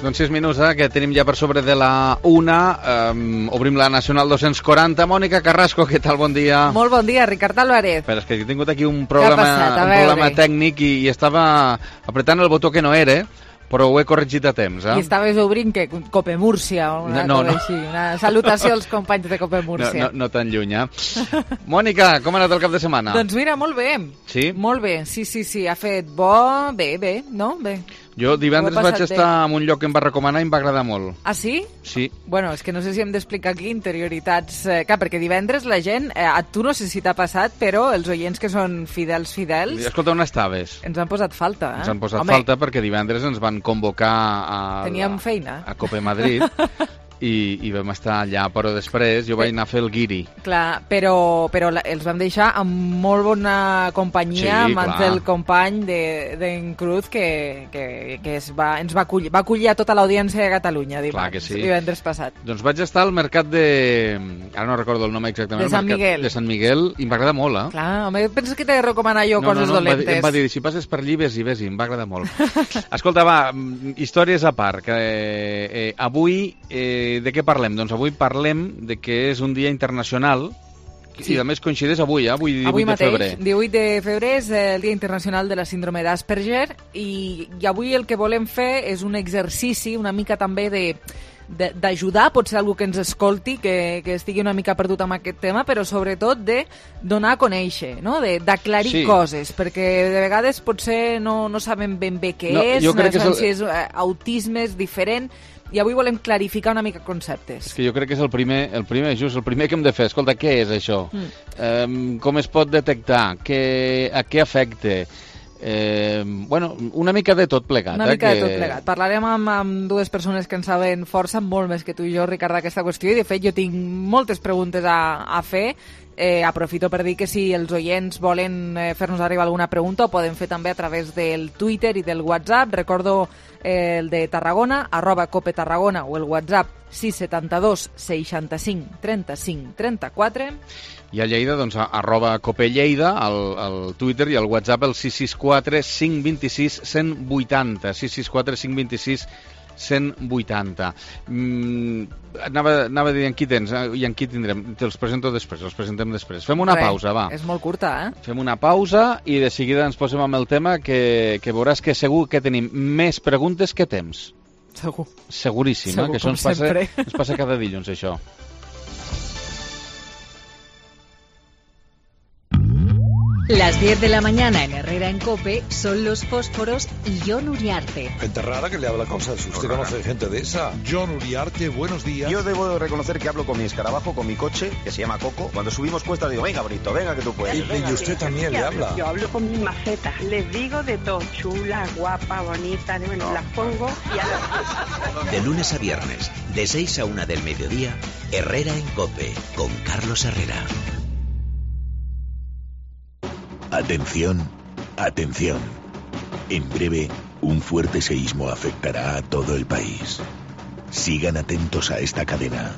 Doncs 6 minuts, que tenim ja per sobre de la 1. Obrim la Nacional 240. Mònica Carrasco, què tal? Bon dia. Molt bon dia, Ricard Álvarez. Però és que he tingut aquí un problema tècnic i estava apretant el botó que no era, però ho he corregit a temps. I estaves obrint que Cope Múrcia o una cosa així, una salutació als companys de Cope Múrcia. No tan lluny, Mònica, com ha anat el cap de setmana? Doncs mira, molt bé. Sí? Molt bé, sí, ha fet bo, bé, no? Bé. Jo divendres vaig estar en un lloc que em va recomanar i em va agradar molt. Ah, sí? Sí. Bueno, és que no sé si hem d'explicar aquí interioritats. Clar, perquè divendres la gent, a tu no sé si t'ha passat, però els oients que són fidels... Escolta, on estaves? Ens han posat falta, Ens han posat falta perquè divendres ens van convocar Teníem feina. A Cope Madrid. I vam estar allà, però després jo vaig anar a fer el guiri. Clar, però els vam deixar amb molt bona companyia, amb el company d'en Cruz que ens va acollir a tota l'audiència de Catalunya divendres passat. Doncs vaig estar al mercat de... ara no recordo el nom exactament. De Sant Miguel. De Sant Miguel, i em va agradar molt, Clar, home, penses que t'he de recomanar jo coses dolentes? Em va dir, si passes per allí, vés-hi, em va agradar molt. Escolta, va, històries a part, que avui... de què parlem? Doncs avui parlem de que és un dia internacional i a més coincideix avui 18 de febrer. 18 de febrer és el Dia Internacional de la Síndrome d'Asperger i avui el que volem fer és un exercici una mica també d'ajudar, pot ser algú que ens escolti, que estigui una mica perdut amb aquest tema, però sobretot de donar a conèixer, no? D'aclarir coses, perquè de vegades potser no sabem ben bé què és, no sabem si és autisme, és diferent, i avui volem clarificar una mica conceptes. És que jo crec que és el primer que hem de fer. Escolta, què és això? Com es pot detectar? A què afecta? Una mica de tot plegat. Una mica de tot plegat. Parlarem amb dues persones que en saben força, molt més que tu i jo, Ricard, d'aquesta qüestió, i de fet jo tinc moltes preguntes a fer. Aprofito per dir que si els oients volen fer-nos arribar alguna pregunta ho poden fer també a través del Twitter i del WhatsApp. Recordo el de Tarragona, @copetarragona, o el WhatsApp 672 65 35 34. I a Lleida, doncs, @copelleida, al Twitter, i al WhatsApp el 664 526 180. 664 526 180. Anava a dir en qui tens i en qui tindrem. Te'ls presento després, els presentem després. Fem una pausa, va. És molt curta, Fem una pausa i de seguida ens posem amb el tema que veuràs que segur que tenim més preguntes que temps. Segur. Seguríssim, que això ens passa cada dilluns, això. Las 10 de la mañana en Herrera en COPE son los fósforos y Jon Uriarte. Gente rara que le habla cosas. ¿Usted conoce gente de esa? Jon Uriarte, buenos días. Yo debo de reconocer que hablo con mi escarabajo, con mi coche, que se llama Coco. Cuando subimos cuesta digo, venga, Brito, venga que tú puedes. Y usted también le habla. Yo hablo con mi maceta. Les digo de todo. Chula, guapa, bonita. Bueno, las pongo y a De lunes a viernes, de 6 a 1 del mediodía, Herrera en COPE, con Carlos Herrera. Atención, atención. En breve, un fuerte seísmo afectará a todo el país. Sigan atentos a esta cadena.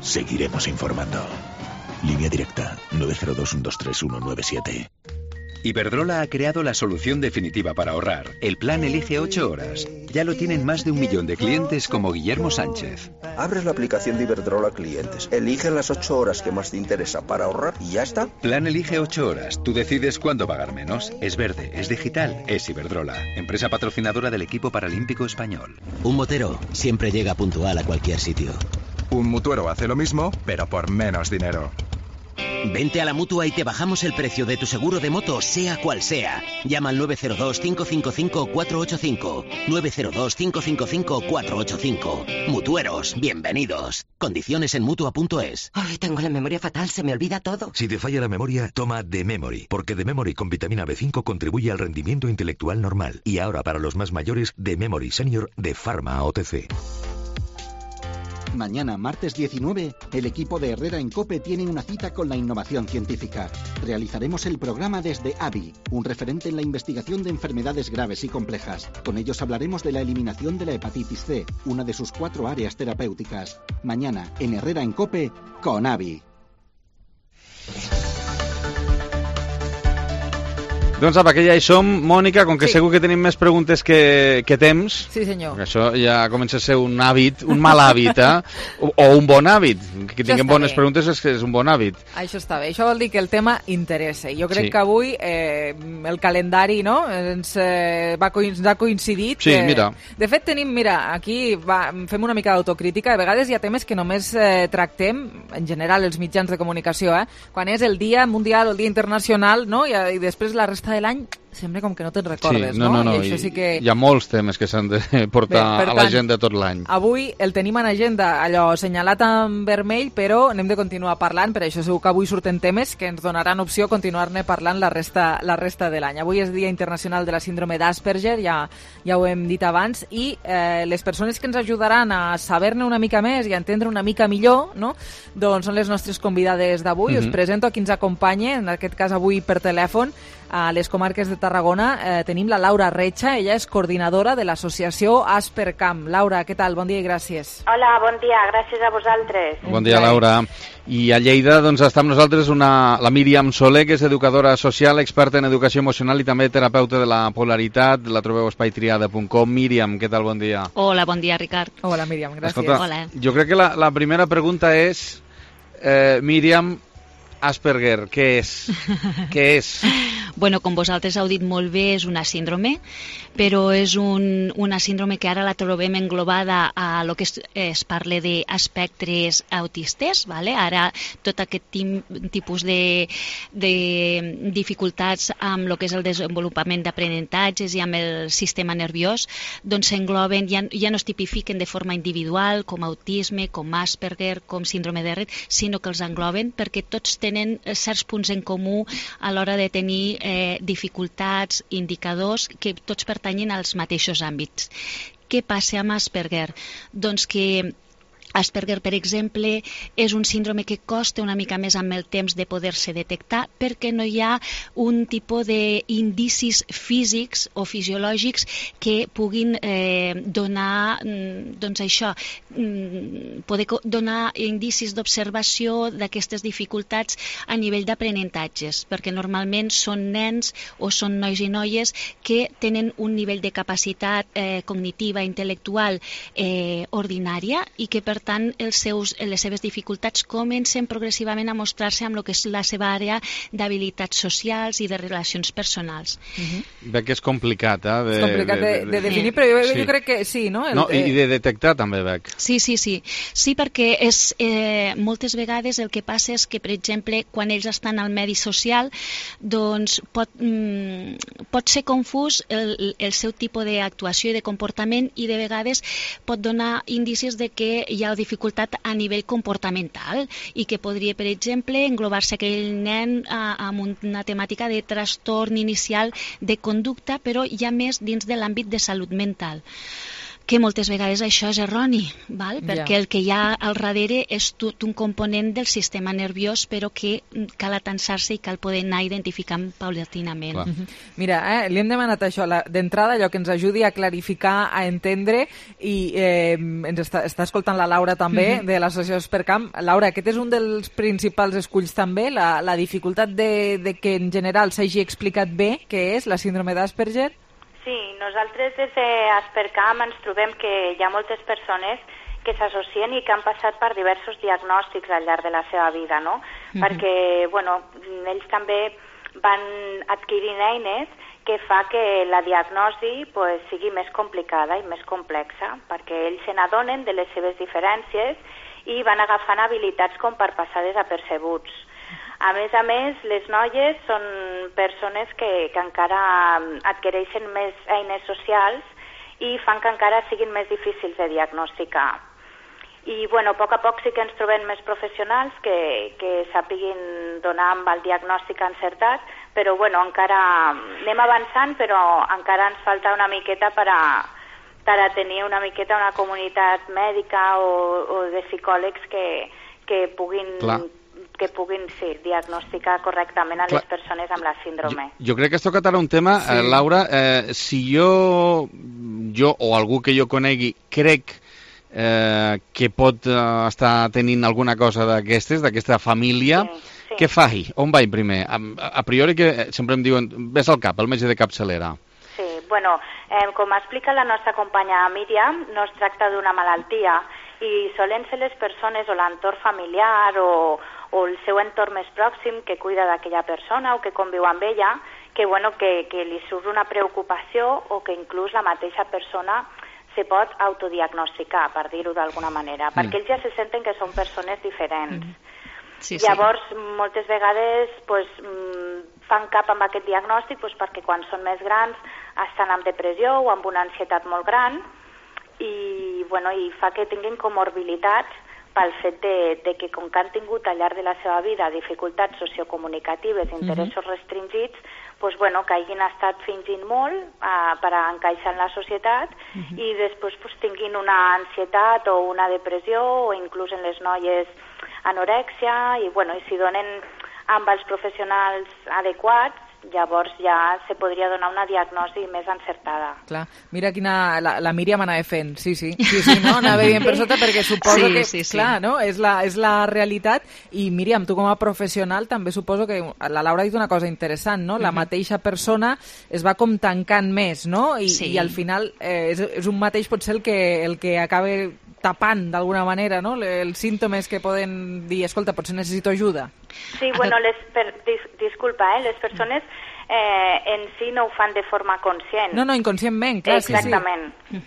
Seguiremos informando. Línea directa 902-123-197. Iberdrola ha creado la solución definitiva para ahorrar, el plan Elige 8 horas. Ya lo tienen más de 1 millón de clientes como Guillermo Sánchez. Abres la aplicación de Iberdrola Clientes, elige las 8 horas que más te interesa para ahorrar y ya está. Plan Elige 8 horas. Tú decides cuándo pagar menos. Es verde, es digital, es Iberdrola. Empresa patrocinadora del equipo paralímpico español. Un motero siempre llega puntual a cualquier sitio. Un mutuero hace lo mismo, pero por menos dinero. Vente a la Mutua y te bajamos el precio de tu seguro de moto, sea cual sea. Llama al 902-555-485. 902-555-485. Mutueros, bienvenidos. Condiciones en Mutua.es. Ay, tengo la memoria fatal, se me olvida todo. Si te falla la memoria, toma The Memory, porque The Memory con vitamina B5 contribuye al rendimiento intelectual normal. Y ahora para los más mayores, The Memory Senior de Pharma OTC. Mañana, martes 19, el equipo de Herrera en COPE tiene una cita con la innovación científica. Realizaremos el programa desde AVI, un referente en la investigación de enfermedades graves y complejas. Con ellos hablaremos de la eliminación de la hepatitis C, una de sus 4 áreas terapéuticas. Mañana, en Herrera en COPE, con AVI. Doncs apa, que ja hi som. Mònica, com que segur que tenim més preguntes que temps, sí, senyor. Això ja comença a ser un hàbit, un mal hàbit, o un bon hàbit. Que tinguem bones preguntes és un bon hàbit. Això està bé. Això vol dir que el tema interessa. Jo crec que avui el calendari ens ha coincidit. Sí, mira. De fet, tenim, aquí fem una mica d'autocrítica. A vegades hi ha temes que només tractem, en general, els mitjans de comunicació, quan és el Dia Mundial, el Dia Internacional, no? I després la resta de l'any sembla com que no te'n recordes, no? I això sí que... Hi ha molts temes que s'han de portar a l'agenda tot l'any. Avui el tenim en agenda allò assenyalat en vermell, però n'hem de continuar parlant, per això segur que avui surten temes que ens donaran opció a continuar-ne parlant la resta de l'any. Avui és Dia Internacional de la Síndrome d'Asperger, ja ho hem dit abans, i les persones que ens ajudaran a saber-ne una mica més i a entendre una mica millor, no? Doncs són les nostres convidades d'avui. Us presento a qui ens acompanya, en aquest cas avui per telèfon, a les comarques de Tarragona. Tenim la Laura Recha, ella és coordinadora de l'associació Aspercam. Laura, què tal? Bon dia i gràcies. Hola, bon dia, gràcies a vosaltres. Bon dia, Laura. I a Lleida doncs, està amb nosaltres la Míriam Soler, que és educadora social, experta en educació emocional i també terapeuta de la polaritat. La trobeu a espaitriada.com. Míriam, què tal? Bon dia. Hola, bon dia, Ricard. Hola, Míriam, gràcies. Escolta, hola. Jo crec que la primera pregunta és, Míriam, Asperger, què és? Què és? Bueno, com vosaltres heu dit molt bé, és una síndrome, però és una síndrome que ara la trobem englobada a lo que es parla d'espectres autistes, ¿vale? Ara tot aquest tipus de dificultats amb lo que és el desenvolupament d'aprenentatges i amb el sistema nerviós, doncs s'engloben, ja no es tipifiquen de forma individual com autisme, com Asperger, com síndrome de Rett, sinó que els engloben perquè tots tenen certs punts en comú a l'hora de tenir dificultats, indicadors que tots pertanyen als mateixos àmbits. Què passa amb Asperger? Doncs que Asperger, per exemple, és un síndrome que costa una mica més amb el temps de poder-se detectar perquè no hi ha un tipus d'indicis físics o fisiològics que puguin donar, doncs això, poder donar indicis d'observació d'aquestes dificultats a nivell d'aprenentatges, perquè normalment són nens o són nois i noies que tenen un nivell de capacitat cognitiva, intel·lectual ordinària i que per tant les seves dificultats comencen progressivament a mostrar-se amb el que és la seva àrea d'habilitats socials i de relacions personals. Veig que és complicat, és complicat de definir, però jo crec que sí, no? I de detectar també, veig. Sí, perquè moltes vegades el que passa és que, per exemple, quan ells estan al medi social, doncs pot ser confús el seu tipus d'actuació i de comportament i de vegades pot donar indicis de que hi ha dificultat a nivell comportamental i que podria, per exemple, englobar-se aquell nen amb una temàtica de trastorn inicial de conducta, però ja més dins de l'àmbit de salut mental. Que moltes vegades això és erroni, perquè el que hi ha al darrere és tot un component del sistema nerviós, però que cal atansar-se i cal poder anar identificant paulatinament. Mira, li hem demanat això, d'entrada, allò que ens ajudi a clarificar, a entendre, i ens està escoltant la Laura també, de l'associació Aspercam. Laura, aquest és un dels principals esculls també, la dificultat de que en general s'hagi explicat bé què és la síndrome d'Asperger? Sí, nosaltres des d'Aspercam ens trobem que hi ha moltes persones que s'associen i que han passat per diversos diagnòstics al llarg de la seva vida, no? Perquè, bueno, ells també van adquirint eines que fa que la diagnosi sigui més complicada i més complexa, perquè ells se n'adonen de les seves diferències i van agafant habilitats com per passar desapercebuts. A més, les noies són persones que encara adquireixen més eines socials i fan que encara siguin més difícils de diagnosticar. I, a poc a poc sí que ens trobem més professionals que sàpiguin donar amb el diagnòstic encertat, però, encara anem avançant, però encara ens falta una miqueta per a tenir una miqueta una comunitat mèdica o de psicòlegs que puguin diagnosticar correctament a les persones amb la síndrome. Jo crec que has tocat ara un tema, Laura, si jo o algú que jo conegui crec que pot estar tenint alguna cosa d'aquesta família, Sí. Què faig? On vaig primer? A priori que sempre em diuen, ves al cap, el metge de capçalera. Sí, bueno, com explica la nostra companya Míriam, no es tracta d'una malaltia i solen ser les persones o l'entorn familiar o el seu entorn més pròxim que cuida d'aquella persona o que conviu amb ella, que li surt una preocupació o que inclús la mateixa persona se pot autodiagnosticar, per dir-ho d'alguna manera, perquè ells ja se senten que són persones diferents. Sí. Llavors, moltes vegades fan cap amb aquest diagnòstic perquè quan són més grans estan amb depressió o amb una ansietat molt gran i fa que tinguin comorbilitats pel fet de que com que han tingut al llarg de la seva vida dificultats sociocomunicatives, interessos restringits, que hagin estat fingint molt per encaixar en la societat i després tinguin una ansietat o una depressió o inclús en les noies anorèxia i si donen amb els professionals adequats llavors ja se podria donar una diagnosi més encertada. Clar, mira quina... La Míriam anava fent, sí, no? Anava dient per sota perquè suposo que, clar, no? És la realitat i Míriam, tu com a professional també suposo que la Laura ha dit una cosa interessant, no? La mateixa persona es va com tancant més, no? I al final és un mateix potser el que acaba tapant d'alguna manera, no? Els símptomes que poden dir, escolta, potser necessito ajuda. Sí, disculpa, les persones en si no ho fan de forma conscient. No, inconscientment, clar, exactament. Sí.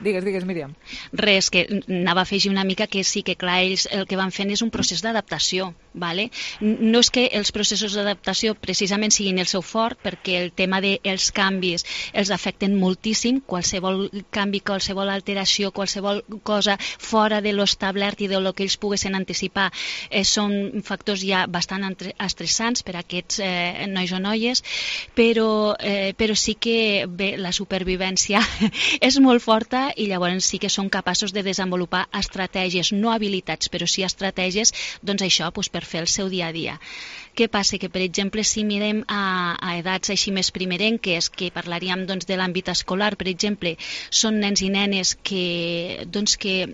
Digues, Míriam. Res, que anava a afegir una mica que sí, que clar, ells el que van fent és un procés d'adaptació, ¿vale? No és que els processos d'adaptació precisament siguin el seu fort, perquè el tema dels canvis els afecten moltíssim, qualsevol canvi, qualsevol alteració, qualsevol cosa fora de l'establert i de lo que ells poguessin anticipar són factors ja bastant estressants per a aquests nois o noies, però sí que la supervivència és molt forta i llavors sí que són capaços de desenvolupar estratègies, no habilitats, però sí estratègies, doncs això, per fer el seu dia a dia. Què passa? Que, per exemple, si mirem a edats així més primerenques, que parlaríem de l'àmbit escolar, per exemple, són nens i nenes que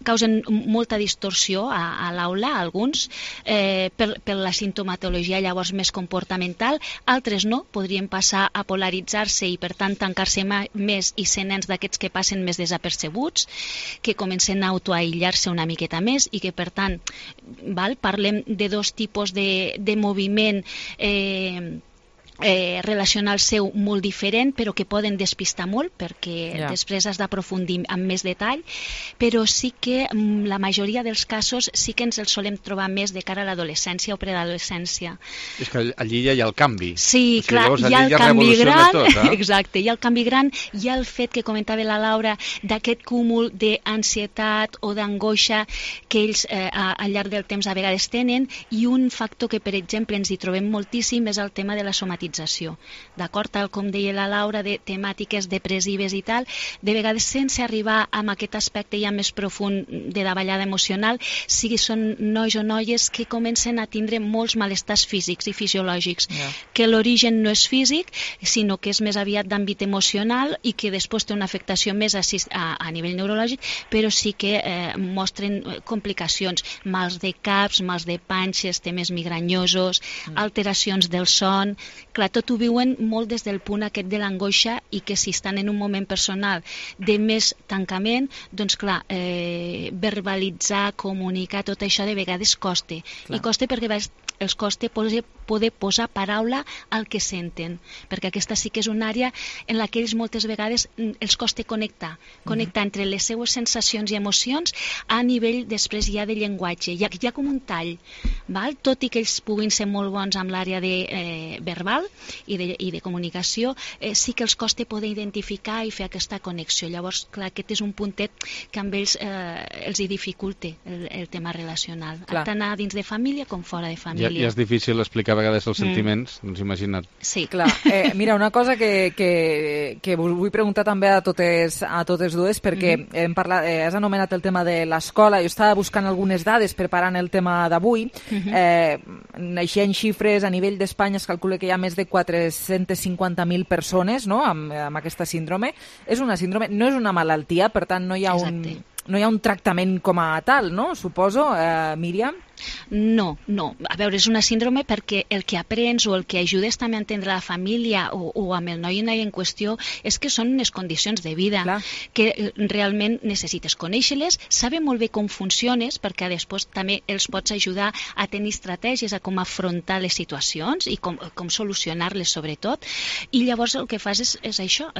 causen molta distorsió a l'aula, alguns, per la sintomatologia llavors més comportamental, altres no, podrien passar a polaritzar-se i per tant tancar-se més i ser nens d'aquests que passen més desapercebuts, que comencen a autoaïllar-se una miqueta més i que per tant parlem de dos tipus de moviment relacional seu molt diferent, però que poden despistar molt perquè després has d'aprofundir amb més detall, però sí que la majoria dels casos sí que ens els solem trobar més de cara a l'adolescència o preadolescència. És que allí ja hi ha el canvi. Sí, clar, hi ha el canvi gran, exacte, hi ha el canvi gran, hi ha el fet que comentava la Laura d'aquest cúmul d'ansietat o d'angoixa que ells al llarg del temps a vegades tenen, i un factor que, per exemple, ens hi trobem moltíssim és el tema de la somatització. D'acord? Tal com deia la Laura, de temàtiques depressives i tal, de vegades sense arribar a aquest aspecte ja més profund de davallada emocional, si són nois o noies que comencen a tindre molts malestars físics i fisiològics, que l'origen no és físic, sinó que és més aviat d'àmbit emocional i que després té una afectació més a nivell neurològic, però sí que mostren complicacions, mals de caps, mals de panxes, temes migranyosos, alteracions del son. Clar, tot ho viuen molt des del punt aquest de l'angoixa i que si estan en un moment personal de més tancament, doncs clar, verbalitzar, comunicar, tot això de vegades costa. I costa perquè els costa poder posar paraula al que senten, perquè aquesta sí que és una àrea en la que ells moltes vegades els costa connectar entre les seues sensacions i emocions a nivell després ja de llenguatge. Hi ha com un tall, tot i que ells puguin ser molt bons amb l'àrea verbal i de comunicació, sí que els costa poder identificar i fer aquesta connexió. Llavors, clar, aquest és un puntet que amb ells els hi dificulta el tema relacional, tant a dins de família com fora de família. I és difícil explicar a vegades els sentiments, doncs imagina't. Sí, clar. Mira, una cosa que us vull preguntar també a totes dues, perquè has anomenat el tema de l'escola. Jo estava buscant algunes dades preparant el tema d'avui. Naixent xifres a nivell d'Espanya es calcula que hi ha més de 450.000 persones, no?, amb aquesta síndrome. És una síndrome, no és una malaltia, per tant no hi ha un tractament com a tal, no?, suposo, Míriam? No. A veure, és una síndrome perquè el que aprens o el que ajudes també a entendre la família o amb el noi i noia en qüestió és que són unes condicions de vida que realment necessites conèixer-les, saber molt bé com funciones perquè després també els pots ajudar a tenir estratègies a com afrontar les situacions i com solucionar-les sobretot, i llavors el que fas és això,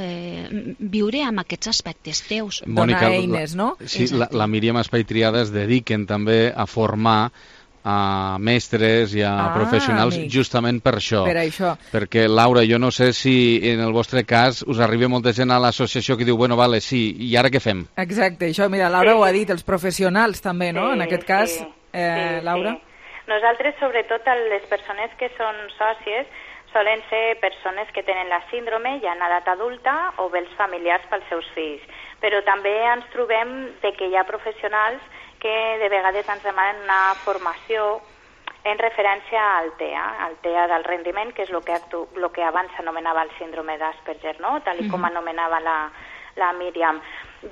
viure amb aquests aspectes teus. Mònica, donar eines, no? Sí, la Míriam Espai Triada es dediquen també a formar a mestres i a professionals justament per això. Per això. Perquè, Laura, jo no sé si en el vostre cas us arriba molta gent a l'associació que diu, bueno, vale, sí, i ara què fem? Exacte, això, mira, Laura ho ha dit, els professionals també, no? En aquest cas, Laura? Sí. Nosaltres, sobretot, les persones que són sòcies, solen ser persones que tenen la síndrome ja en edat adulta o bé els familiars pels seus fills. Però també ens trobem que hi ha professionals que de vegades ens demanen una formació en referència al TEA del rendiment, que és el que abans s'anomenava el síndrome d'Asperger, no? Tal com anomenava la Míriam.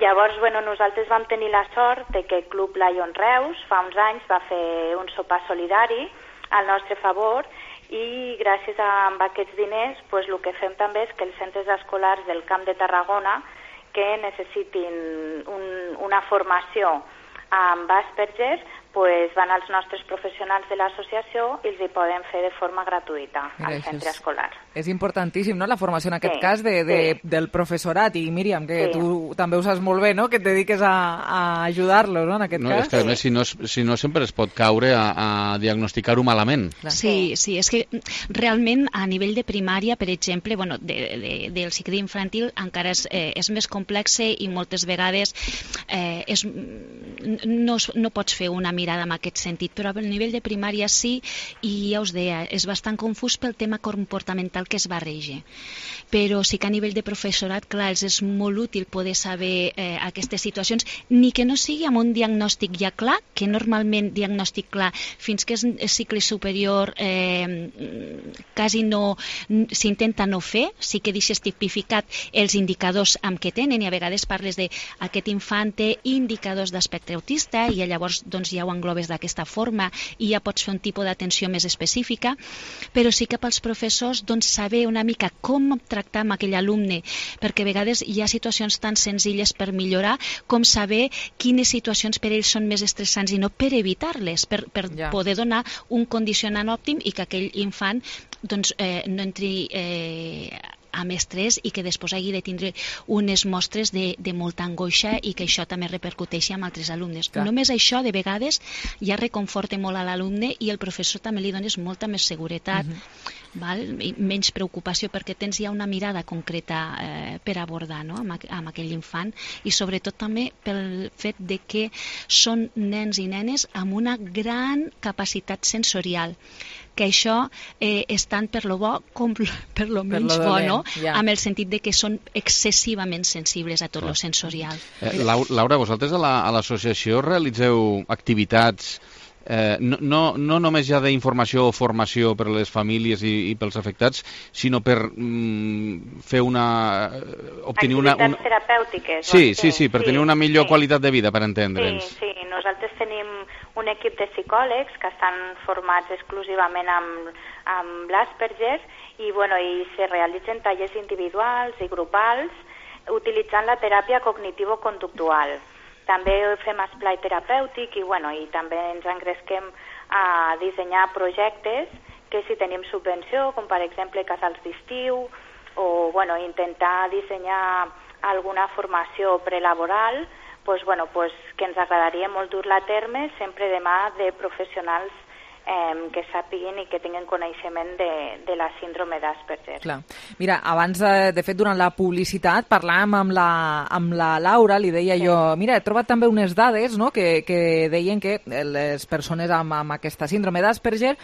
Llavors, nosaltres vam tenir la sort de que el Club Lion Reus fa uns anys va fer un sopar solidari al nostre favor i gràcies a aquests diners el que fem també és que els centres escolars del Camp de Tarragona que necessitin una formació amb Asperger van als nostres professionals de l'associació i els hi poden fer de forma gratuïta al centre escolar. És importantíssim, no?, la formació en aquest cas del professorat. I Míriam, que tu també ho saps molt bé, no?, que et dediques a ajudar-los, no?, en aquest cas. És que a més, si no sempre es pot caure a diagnosticar-ho malament. Sí, és que realment a nivell de primària, per exemple, del cicle infantil encara és més complex i moltes vegades no pots fer una mirada en aquest sentit, però a nivell de primària sí, i ja us deia, és bastant confús pel tema comportamental que es barreja. Però sí que a nivell de professorat, clar, els és molt útil poder saber aquestes situacions, ni que no sigui amb un diagnòstic ja clar, que normalment diagnòstic clar, fins que és cicle superior quasi no s'intenta no fer, sí que deixes tipificat els indicadors amb què tenen, i a vegades parles d'aquest infant té indicadors d'espectre autista i llavors ja ho englobes d'aquesta forma i ja pots fer un tipus d'atenció més específica, però sí que pels professors saber una mica com tractar amb aquell alumne, perquè a vegades hi ha situacions tan senzilles per millorar com saber quines situacions per ells són més estressants i no per evitar-les, per poder donar un condicionant òptim i que aquell infant no entri amb estrès i que després hagi de tindre unes mostres de molta angoixa i que això també repercuteixi amb altres alumnes. Només això, de vegades, ja reconforta molt a l'alumne i el professor també li dones molta més seguretat, i menys preocupació, perquè tens ja una mirada concreta per abordar amb aquell infant, i sobretot també pel fet de que són nens i nenes amb una gran capacitat sensorial, que això és tant per lo bo com per lo menys bo, no? Amb el sentit de que són excessivament sensibles a tot lo sensorial. Laura, vosaltres a l'associació realitzeu activitats no només ja d'informació o formació per a les famílies i pels afectats, sinó per fer obtenir activitats terapèutiques. Sí, per tenir una millor qualitat de vida, per entendre'ns. Sí, nosaltres tenim un equip de psicòlegs que estan formats exclusivament amb l'Asperger i se realitzen tallers individuals i grupals utilitzant la teràpia cognitivo-conductual. També fem esplai terapèutic i també ens engresquem a dissenyar projectes que si tenim subvenció, com per exemple casals d'estiu, o intentar dissenyar alguna formació prelaboral, que ens agradaria molt dur-la a terme sempre de mà de professionals que sàpiguin i que tinguin coneixement de la síndrome d'Asperger. Clar. Mira, abans, de fet, durant la publicitat, parlàvem amb la Laura, li deia jo, mira, he trobat també unes dades, no?, que deien que les persones amb aquesta síndrome d'Asperger,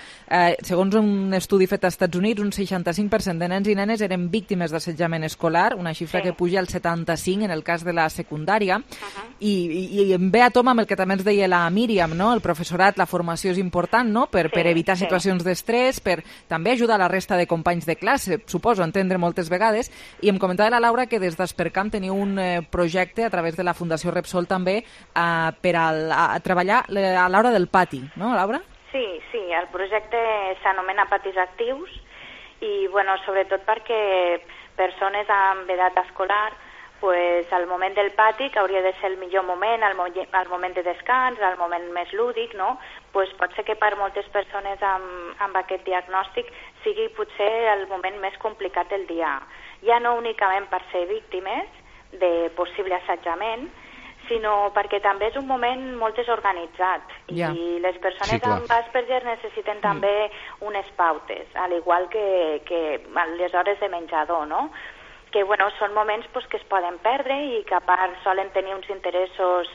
segons un estudi fet als Estats Units, un 65% de nens i nenes eren víctimes d'assetjament escolar, una xifra que puja al 75% en el cas de la secundària, i em ve a tom amb el que també ens deia la Míriam, no?, el professorat, la formació és important, no?, per evitar situacions d'estrès, per també ajudar la resta de companys de classe, suposo, entendre moltes vegades, i em comentava la Laura que des d'Aspercamp teniu un projecte a través de la Fundació Repsol també per a treballar a l'hora del pati, no, Laura? Sí, el projecte s'anomena Patis Actius i, bueno, sobretot perquè persones amb edat escolar, pues, al moment del pati, que hauria de ser el millor moment, el moment de descans, el moment més lúdic, no? Pues pot ser que per moltes persones amb aquest diagnòstic sigui potser el moment més complicat del dia. Ja no únicament per ser víctimes de possible assetjament, sinó perquè també és un moment molt desorganitzat i les persones amb Asperger necessiten també unes pautes, al igual que les hores de menjador, no? Que bueno, són moments pues, que es poden perdre i que a part solen tenir uns interessos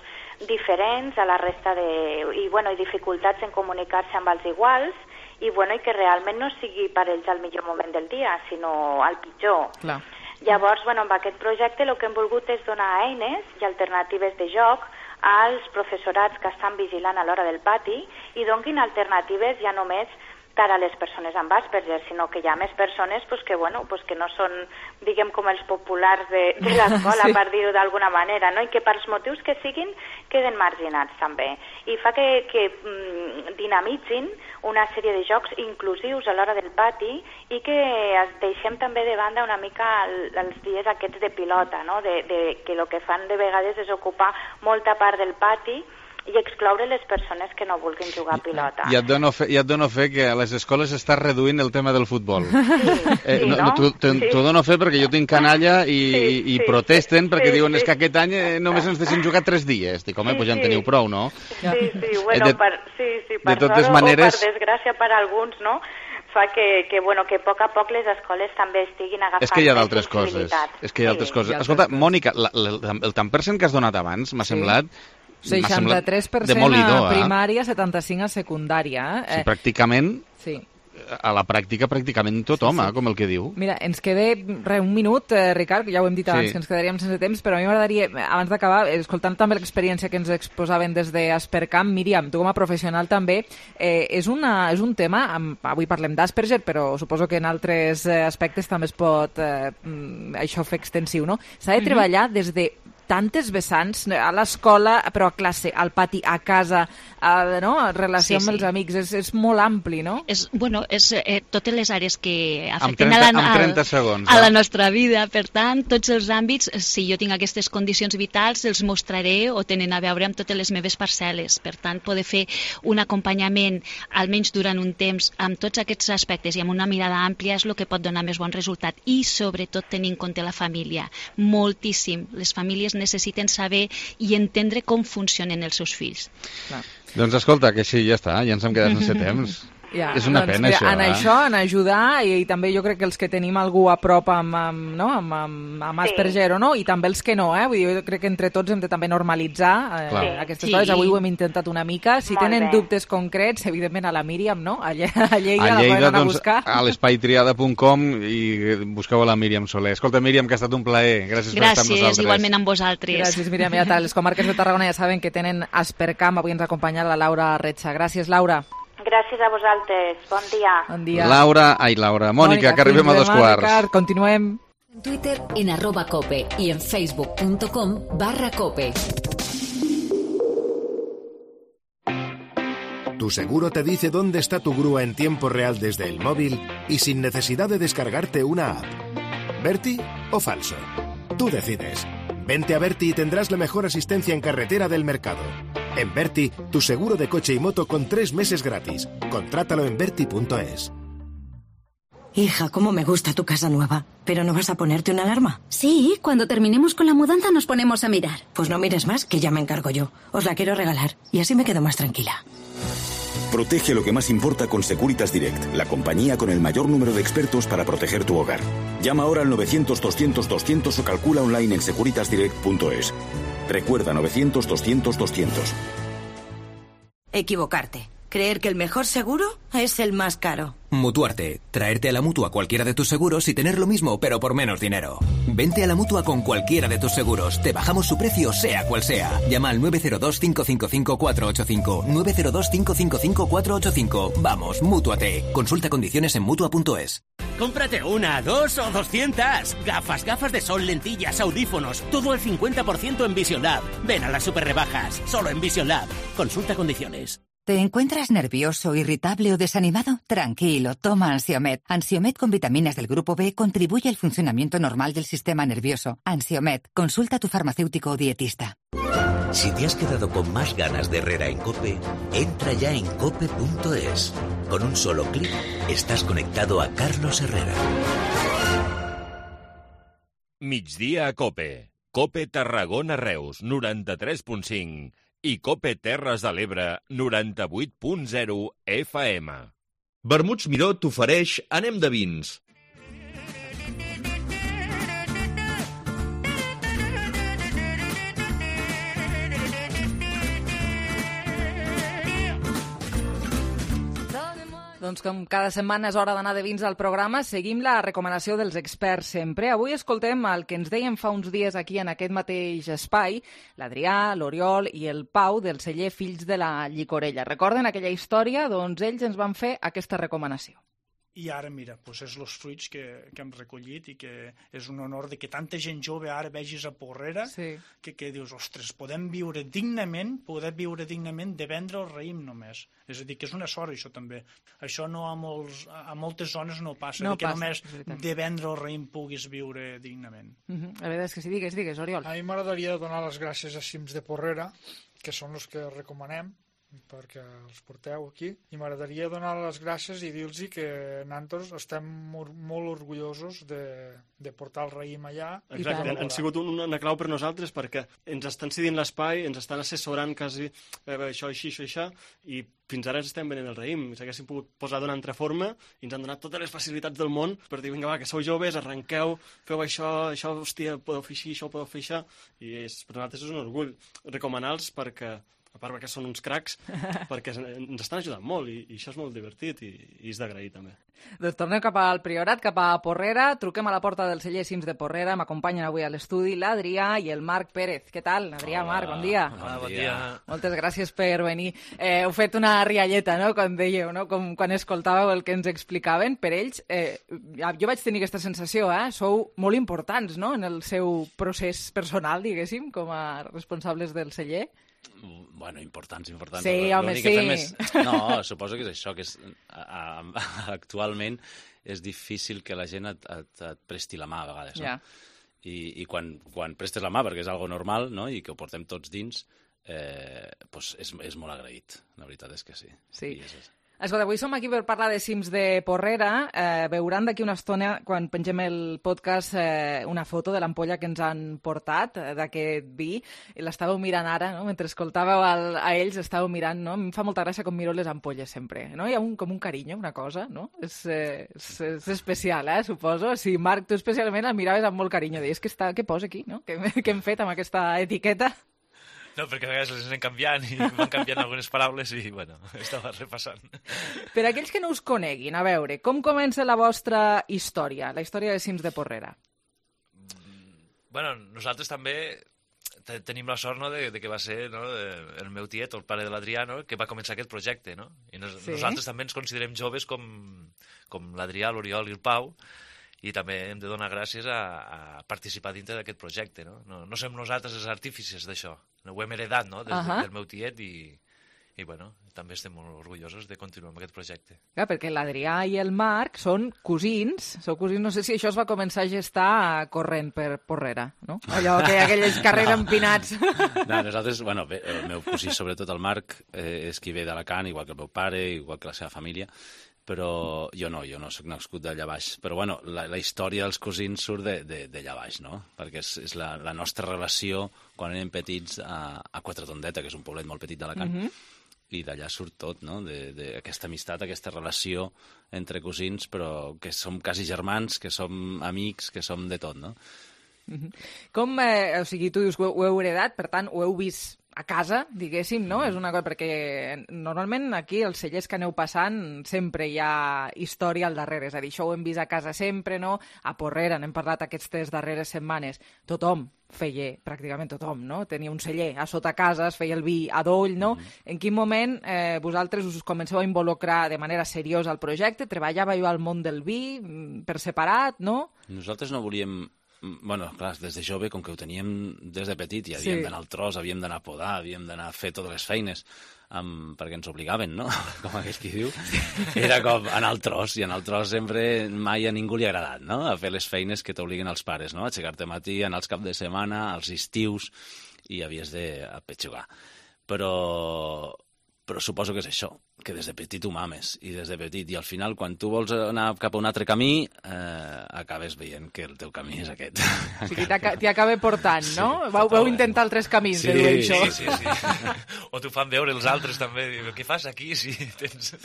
diferents a la resta i dificultats en comunicar-se amb els iguals i que realment no sigui per ells el millor moment del dia, sinó el pitjor. Clar. Llavors, amb aquest projecte el que hem volgut és donar eines i alternatives de joc als professorats que estan vigilant a l'hora del pati i donin alternatives ja només tant a les persones amb Asperger, sinó que hi ha més persones que no són, diguem, com els populars de l'escola, per dir-ho d'alguna manera, no? I que pels motius que siguin queden marginats també. I fa que dinamitzin una sèrie de jocs inclusius a l'hora del pati i que deixem també de banda una mica els dies aquests de pilota, no? Que el que fan de vegades és ocupar molta part del pati i excloure les persones que no vulguin jugar a pilota. I et dono fe que a les escoles s'està reduint el tema del futbol. T'ho dono fe perquè jo tinc canalla i protesten perquè diuen que aquest any només ens deixen jugar 3 dies. Dic, home, doncs ja en teniu prou, no? Per sort o per desgràcia per alguns, no? Fa que a poc les escoles també estiguin agafant... És que hi ha d'altres coses. Escolta, Mònica, el tant percent que has donat abans m'ha semblat... 63% a primària, 75% a secundària. Sí, pràcticament, a la pràctica, pràcticament tothom, com el que diu. Mira, ens queda un minut, Ricard, ja ho hem dit abans, que ens quedaríem sense temps, però a mi m'agradaria, abans d'acabar, escoltant també l'experiència que ens exposaven des d'Aspercam, Míriam, tu com a professional també, és un tema, avui parlem d'Asperger, però suposo que en altres aspectes també es pot això fer extensiu, no? S'ha de treballar des de tantes vessants, a l'escola, però a classe, al pati, a casa, relació amb els amics, és molt ampli, no? És totes les àrees que afecten a la nostra vida, per tant, tots els àmbits, si jo tinc aquestes condicions vitals, els mostraré o tenen a veure amb totes les meves parcel·les. Per tant, poder fer un acompanyament, almenys durant un temps, amb tots aquests aspectes i amb una mirada àmplia és el que pot donar més bon resultat. I, sobretot, tenir en compte la família. Moltíssim. Les famílies necessiten saber i entendre com funcionen els seus fills. Doncs escolta, que sí, ja està, ja ens hem quedat sense temps. És una pena, això. En ajudar, i també jo crec que els que tenim algú a prop amb Asperger o no, i també els que no, vull dir, jo crec que entre tots hem de també normalitzar aquestes coses. Avui ho hem intentat una mica. Si tenen dubtes concrets, evidentment a la Míriam, no? A Lleida la poden anar a buscar. A l'espaitriada.com i busqueu a la Míriam Soler. Escolta, Míriam, que ha estat un plaer. Gràcies per estar amb nosaltres. Gràcies, igualment amb vosaltres. Gràcies, Míriam. Les comarques de Tarragona ja saben que tenen Aspercam. Avui ens ha acompanyat la Laura Retxa. Gràcies, Laura. Gràcies a vosaltres. Bon dia. Bon dia. Laura. Mònica, que arribem a 2:15. Ricard, continuem. En Twitter en @cope y en facebook.com/cope. Tu seguro te dice dónde está tu grúa en tiempo real desde el móvil y sin necesidad de descargarte una app. ¿Berti o falso? Tú decides. Vente a Berti y tendrás la mejor asistencia en carretera del mercado. En Berti, tu seguro de coche y moto con 3 meses gratis. Contrátalo en berti.es. Hija, cómo me gusta tu casa nueva. ¿Pero no vas a ponerte una alarma? Sí, cuando terminemos con la mudanza nos ponemos a mirar. Pues no mires más, que ya me encargo yo. Os la quiero regalar y así me quedo más tranquila. Protege lo que más importa con Securitas Direct, la compañía con el mayor número de expertos para proteger tu hogar. Llama ahora al 900-200-200 o calcula online en securitasdirect.es. Recuerda, 900-200-200. Equivocarte. Creer que el mejor seguro es el más caro. Mutuarte. Traerte a la Mutua cualquiera de tus seguros y tener lo mismo, pero por menos dinero. Vente a la Mutua con cualquiera de tus seguros. Te bajamos su precio, sea cual sea. Llama al 902-555-485. 902-555-485. Vamos, Mútuate. Consulta condiciones en Mutua.es. Cómprate 1, 2 o 200. Gafas de sol, lentillas, audífonos. Todo al 50% en Vision Lab. Ven a las super rebajas. Solo en Vision Lab. Consulta condiciones. ¿Te encuentras nervioso, irritable o desanimado? Tranquilo, toma Ansiomed. Ansiomed con vitaminas del grupo B contribuye al funcionamiento normal del sistema nervioso. Ansiomed, consulta a tu farmacéutico o dietista. Si te has quedado con más ganas de Herrera en COPE, entra ya en cope.es. Con un solo clic estás conectado a Carlos Herrera. Migdia a COPE. COPE Tarragona Reus, 93.5. I COPE Terres de l'Ebre, 98.0 FM. Vermuts Miró t'ofereix Anem de vins. Doncs com cada setmana és hora d'anar de vins al programa, seguim la recomanació dels experts sempre. Avui escoltem el que ens deien fa uns dies aquí en aquest mateix espai, l'Adrià, l'Oriol i el Pau del celler Fills de la Llicorella. Recorden aquella història? Doncs ells ens van fer aquesta recomanació. I ara, mira, doncs és els fruits que hem recollit i que és un honor de que tanta gent jove ara vegis a Porrera, que dius, ostres, podem viure dignament de vendre el raïm només. És a dir, que és una sort, això també. Això no a moltes zones no passa, que només de vendre el raïm puguis viure dignament. La veritat és que sí, digues, Oriol. A mi m'agradaria donar les gràcies a Cims de Porrera, que són els que recomanem, perquè els porteu aquí, i m'agradaria donar les gràcies i dir-los que nosaltres estem molt orgullosos de portar el raïm allà. Exacte, han sigut una clau per nosaltres perquè ens estan cedint l'espai, ens estan assessorant quasi això, això, i fins ara estem venent el raïm. S'haguessin pogut posar d'una altra forma i ens han donat totes les facilitats del món per dir, vinga, va, que sou joves, arrenqueu, feu això, hòstia, podeu fer així, això podeu fer això, i per nosaltres és un orgull recomanar-los perquè a part perquè són uns cracs, perquè ens estan ajudant molt i això és molt divertit i és d'agrair també. Doncs tornem cap al Priorat, cap a Porrera, truquem a la porta del celler Cims de Porrera, m'acompanyen avui a l'estudi l'Adrià i el Marc Pérez. Què tal, Adrià, Marc, bon dia. Hola, bon dia. Moltes gràcies per venir. Heu fet una rialleta, no?, com dèieu, no?, com quan escoltàveu el que ens explicaven. Per ells, jo vaig tenir aquesta sensació, sou molt importants, no?, en el seu procés personal, diguéssim, com a responsables del celler. Bueno, importants. Sí, home, sí. No, suposo que és això, que actualment és difícil que la gent et presti la mà a vegades, no? I quan prestes la mà, perquè és algo normal, no?, i que ho portem tots dins, és molt agraït, la veritat és que sí. Sí. Escolta, avui som aquí per parlar de Cims de Porrera. Veuran d'aquí una estona, quan pengem el podcast, una foto de l'ampolla que ens han portat d'aquest vi. L'estàveu mirant ara, no?, mentre escoltàveu a ells, estàveu mirant, no? Em fa molta gràcia com miro les ampolles sempre, no? Hi ha com un carinyo, una cosa, no? És especial, suposo. Sí, Marc, tu especialment el miraves amb molt carinyo. Deies, què posa aquí, no? Què hem fet amb aquesta etiqueta? No, perquè a vegades les anem canviant i van canviant algunes paraules i, bueno, estava repassant. Per aquells que no us coneguin, a veure, com comença la vostra història, la història de Cims de Porrera? Bueno, nosaltres també tenim la sort, no?, de que va ser, no?, el meu tiet, el pare de l'Adrià, no?, que va començar aquest projecte, no? I nosaltres també ens considerem joves com l'Adrià, l'Oriol i el Pau, i també hem de donar gràcies a participar dintre d'aquest projecte, no? No som nosaltres els artífices d'això, ho hem heredat, no?, del meu tiet i bueno, també estem molt orgullosos de continuar amb aquest projecte. Clar, perquè l'Adrià i el Marc són cosins, no sé si això es va començar a gestar corrent per Porrera, no? Allò que aquells carrers empinats. No, nosaltres, bueno, bé, el meu cosí, sobretot el Marc, és qui ve d'Alacant, igual que el meu pare, igual que la seva família, però jo no soc nascut d'allà baix. Però, bueno, la història dels cosins surt d'allà baix, no? Perquè és la nostra relació quan érem petits a Quatretondeta, que és un poblet molt petit d'Alacant, i d'allà surt tot, no?, d'aquesta amistat, aquesta relació entre cosins, però que som quasi germans, que som amics, que som de tot, no? Com, o sigui, tu dius que ho heu heredat, per tant, ho heu vist a casa, diguéssim, no? És una cosa, perquè normalment aquí els cellers que aneu passant sempre hi ha història al darrere, és a dir, això ho hem vist a casa sempre, no? A Porrera n'hem parlat aquestes darreres setmanes. Tothom feia, pràcticament tothom, no? Tenia un celler a sota casa, es feia el vi a doll, no? En quin moment vosaltres us comenceu a involucrar de manera seriosa al projecte? Treballàveu al món del vi per separat, no? Nosaltres no volíem bueno, clar, des de jove, com que ho teníem des de petit, i havíem d'anar al tros, havíem d'anar a podar, havíem d'anar a fer totes les feines, perquè ens obligaven, no? Com aquell qui diu. Era com anar al tros, i anar al tros sempre mai a ningú li ha agradat, no? A fer les feines que t'obliguen els pares, no? A aixecar-te a matí, anar als caps de setmana, als estius, i havies d'apetxugar. Però suposo que és això, que des de petit ho mames, i des de petit, i al final, quan tu vols anar cap a un altre camí, acabes veient que el teu camí és aquest. O sigui, t'hi acaba portant, no? Vau intentar altres camins, de dir això. Sí. O t'ho fan veure els altres també, què fas aquí si tens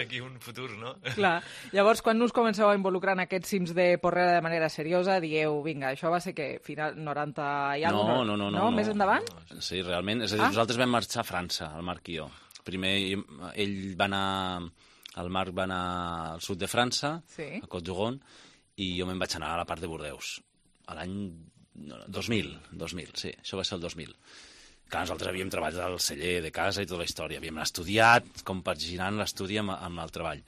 aquí un futur, no? Clar. Llavors, quan us comenceu a involucrar en aquests cims de Porrera de manera seriosa, dieu, vinga, això va ser que final 90 i alguna cosa? No. Més endavant? Sí, realment. És a dir, nosaltres vam marxar a França, el Marc i jo. Primer ell va anar, el Marc va anar al sud de França, a Côte-d'Oron, i jo me'n vaig anar a la part de Bordeus, a l'any 2000, sí, això va ser el 2000. Clar, nosaltres havíem treballat al celler de casa i tota la història, havíem estudiat, compaginant l'estudi amb el treball.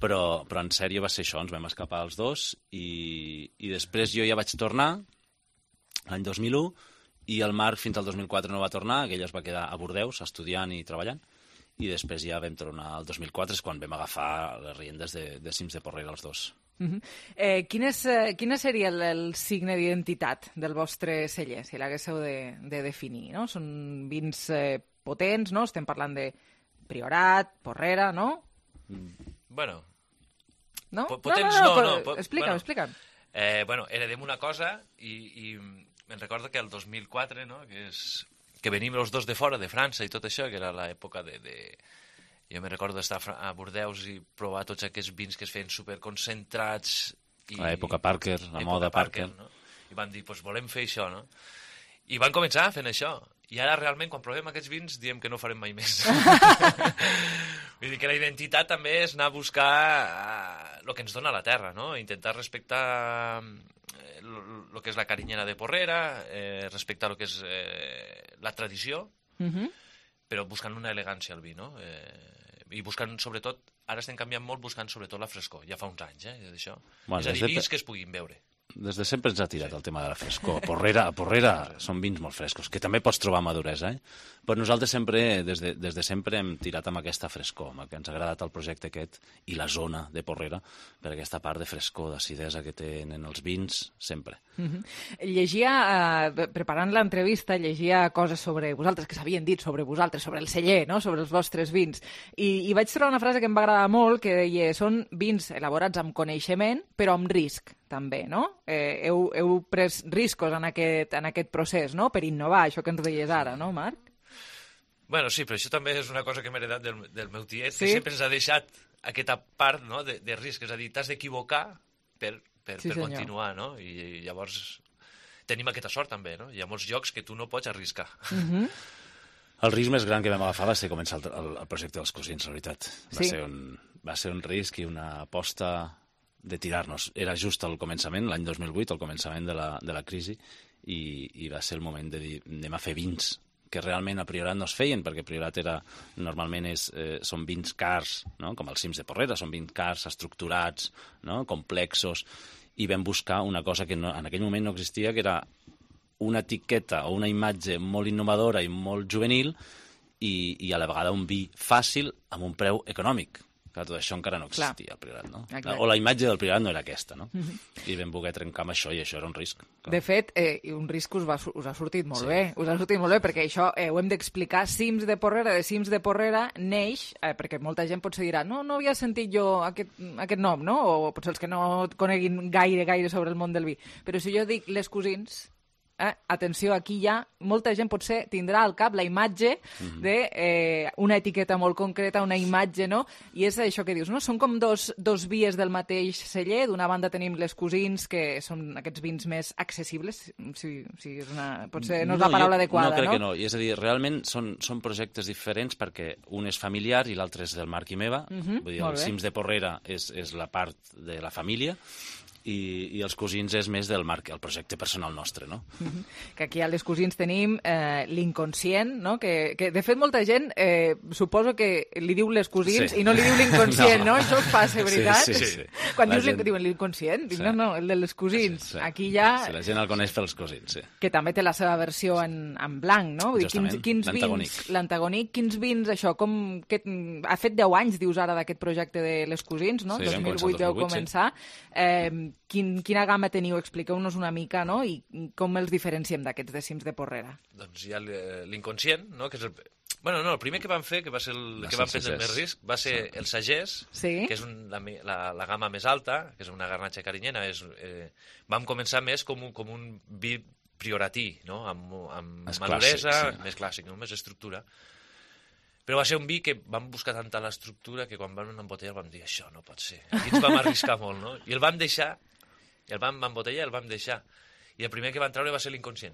Però en sèrio va ser això, ens vam escapar els dos, i després jo ja vaig tornar, l'any 2001, i el Marc fins al 2004 no va tornar, que ell es va quedar a Bordeus estudiant i treballant, i després ja vam tornar al 2004, és quan vam agafar les riendes de cims de Porrera els dos. Quin seria el signe d'identitat del vostre celler, si l'haguéssiu de definir, no? Són vins potents, no? Estem parlant de Priorat, Porrera, no? Bueno... No? Potents no. Explica'm. Bueno, heredem una cosa i me'n recordo que el 2004, no?, que venim els dos de fora, de França i tot això, que era l'època de... Jo me'n recordo d'estar a Bordeus i provar tots aquests vins que es feien superconcentrats. L'època Parker, la moda Parker. No? I van dir, doncs volem fer això, no? I van començar fent això. I ara realment, quan provem aquests vins, diem que no farem mai més. Vull dir que la identitat també és anar a buscar el que ens dona la terra, no? Intentar respectar el que és la carinyera de Porrera, respectar el que és la tradició, però buscant una elegància al vi, no? I buscant, sobretot, ara estem canviant molt buscant sobretot la frescor, ja fa uns anys, d'això. És a dir, vins que es puguin beure. Des de sempre ens ha tirat el tema de la frescor. A Porrera són vins molt frescos, que també pots trobar maduresa, Però nosaltres sempre, des de sempre hem tirat amb aquesta frescor, amb que ens ha agradat el projecte aquest i la zona de Porrera, per aquesta part de frescor, d'acidesa que tenen els vins, sempre. Llegia, preparant l'entrevista, llegia coses sobre vosaltres, que s'havien dit sobre vosaltres, sobre el celler, no?, sobre els vostres vins, i vaig trobar una frase que em va agradar molt, que deia, són vins elaborats amb coneixement, però amb risc, també, no? Heu pres riscos en aquest procés, no?, per innovar, això que ens deies ara, no, Marc? Bueno, sí, però això també és una cosa que m'he heredat del meu tiet, que sempre ens ha deixat aquesta part, no?, de risc, és a dir, t'has d'equivocar per continuar, no? I llavors tenim aquesta sort també, no? Hi ha molts llocs que tu no pots arriscar. El risc més gran que vam agafar va ser començar el projecte dels cosins, la veritat. Va ser un risc i una aposta de tirar-nos. Era just al començament, l'any 2008, al començament de la crisi, i va ser el moment de dir, anem a fer vins que realment a Priorat no es feien, perquè Priorat normalment són vins cars, no?, com els cims de Porrera, són vins cars, estructurats, no?, complexos, i vam buscar una cosa que en aquell moment no existia, que era una etiqueta o una imatge molt innovadora i molt juvenil i a la vegada un vi fàcil amb un preu econòmic. Clar, tot això encara no existia al Priorat, no? O la imatge del Priorat no era aquesta, no? I vam voler trencar amb això, i això era un risc. De fet, un risc us ha sortit molt bé. Us ha sortit molt bé, perquè això ho hem d'explicar. Cims de Porrera, de Cims de Porrera, neix, perquè molta gent potser dirà, no havia sentit jo aquest nom, no? O potser els que no coneguin gaire sobre el món del vi. Però si jo dic les cosins... atenció, aquí ja molta gent potser tindrà al cap la imatge d'una etiqueta molt concreta, una imatge, no? I és això que dius, no? Són com dos vies del mateix celler. D'una banda tenim les cosins, que són aquests vins més accessibles, potser no és la paraula adequada, no? No, crec que no. És a dir, realment són projectes diferents perquè un és familiar i l'altre és del Marc i meva. Vull dir, els cims de Porrera és la part de la família, i els cosins és més del Marc, el projecte personal nostre, no? Que aquí a Les Cosins tenim l'inconscient, no? Que de fet molta gent suposo que li diu Les Cosins i no li diu l'inconscient, no? Això us passa, veritat? Sí. Quan diuen l'inconscient, dic, no, el de Les Cosins. Aquí ja... Sí, la gent el coneix pels cosins, sí. Que també té la seva versió en blanc, no? Vull dir, quins vins... L'antagònic. Quins vins, això, ha fet 10 anys, dius ara, d'aquest projecte de Les Cosins, no? 2008 deu començar. Quina gamma teniu? Expliqueu-nos una mica, no? I com els diferenciem d'aquests decims de Porrera? Doncs hi ha l'inconscient, no? Que és el... Bueno, no, el primer que vam fer, que va ser el que vam prendre més risc, va ser el sagès, que és la gamma més alta, que és una garnatxa carinyena. Vam començar més com un vi prioratí, no? Amb maduresa, més clàssic, no? Més estructura. Però va ser un vi que vam buscar tanta l'estructura que quan vam embotellar vam dir això no pot ser. Aquí ens vam arriscar molt, no? I el vam deixar, el vam embotellar i el vam deixar. I el primer que van treure va ser l'inconscient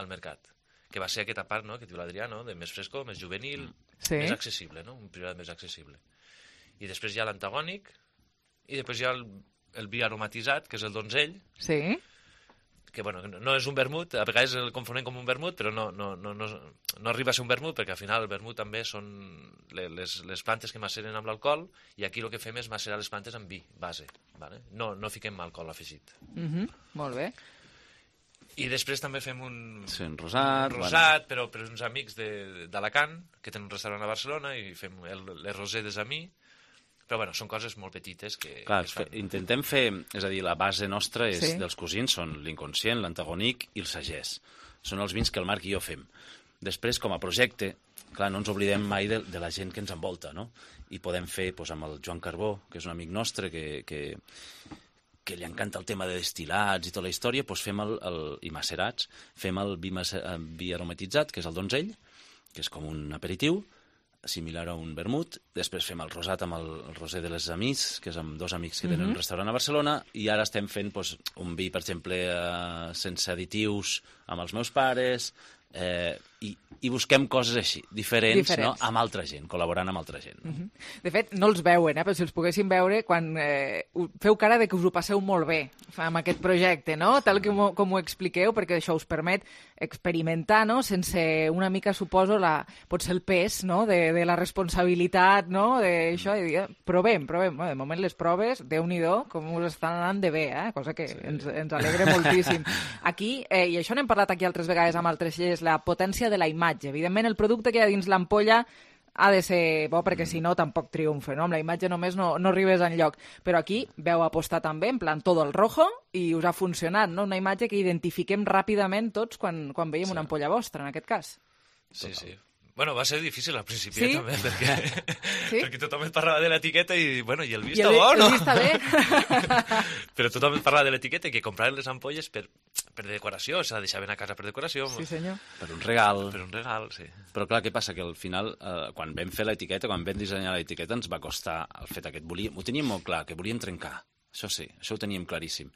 al mercat, que va ser aquesta part, no?, que diu l'Adrià, no?, de més frescor, més juvenil, més accessible, no?, un priorat més accessible. I després hi ha l'antagònic, i després hi ha el vi aromatitzat, que és el donzell, que, bueno, no és un vermut, a vegades el confonem com un vermut, però no arriba a ser un vermut, perquè al final el vermut també són les plantes que maceren amb l'alcohol, i aquí el que fem és macerar les plantes amb vi, base, ¿vale? No fiquem alcohol afegit. Molt bé. I després també fem un rosat, però uns amics d'Alacant, que tenen un restaurant a Barcelona, i fem les rosé des a mi. Però, bueno, són coses molt petites que... Clar, intentem fer... És a dir, la base nostra dels cosins són l'inconscient, l'antagònic i el sagès. Són els vins que el Marc i jo fem. Després, com a projecte, clar, no ens oblidem mai de la gent que ens envolta, no? I podem fer, amb el Joan Carbó, que és un amic nostre, que li encanta el tema de destil·lats i tota la història, fem i macerats, fem el vi aromatitzat, que és el donzell, que és com un aperitiu, similar a un vermut. Després fem el rosat amb el rosé de les Amis, que és amb 2 amics que tenen un restaurant a Barcelona, i ara estem fent un vi, per exemple, sense additius amb els meus pares, i busquem coses així, diferents. No? Amb altra gent, col·laborant amb altra gent. No? De fet, no els veuen, però si els poguéssim veure, quan feu cara de que us ho passeu molt bé amb aquest projecte, no? Tal com ho expliqueu, perquè això us permet experimentar, no? Sense una mica, suposo, potser el pes, no? De la responsabilitat, no? D'això, i dir, provem. Bueno, de moment les proves, Déu-n'hi-do, com us estan anant de bé, cosa que ens alegra moltíssim. Aquí, i això n'hem parlat aquí altres vegades amb altres lleis, la potència de la imatge. Evidentment, el producte que hi ha dins l'ampolla ha de ser bo, perquè si no tampoc triomfa, no? Amb la imatge només no arribes enlloc. Però aquí veu apostar també, en plan todo el rojo, i us ha funcionat, no? Una imatge que identifiquem ràpidament tots quan veiem una ampolla vostra, en aquest cas. Sí. Bueno, va ser difícil al principi, també, perquè tothom et parlava de l'etiqueta i el vi està bo, no? El vi està bé. Però tothom et parlava de l'etiqueta i que compraven les ampolles per decoració, se la deixaven a casa per decoració. Sí, senyor. Per un regal. Sí. Però clar, què passa? Que al final, quan vam fer l'etiqueta, quan vam dissenyar l'etiqueta, ens va costar el fet aquest. Ho teníem molt clar, que volíem trencar. Això sí, això ho teníem claríssim.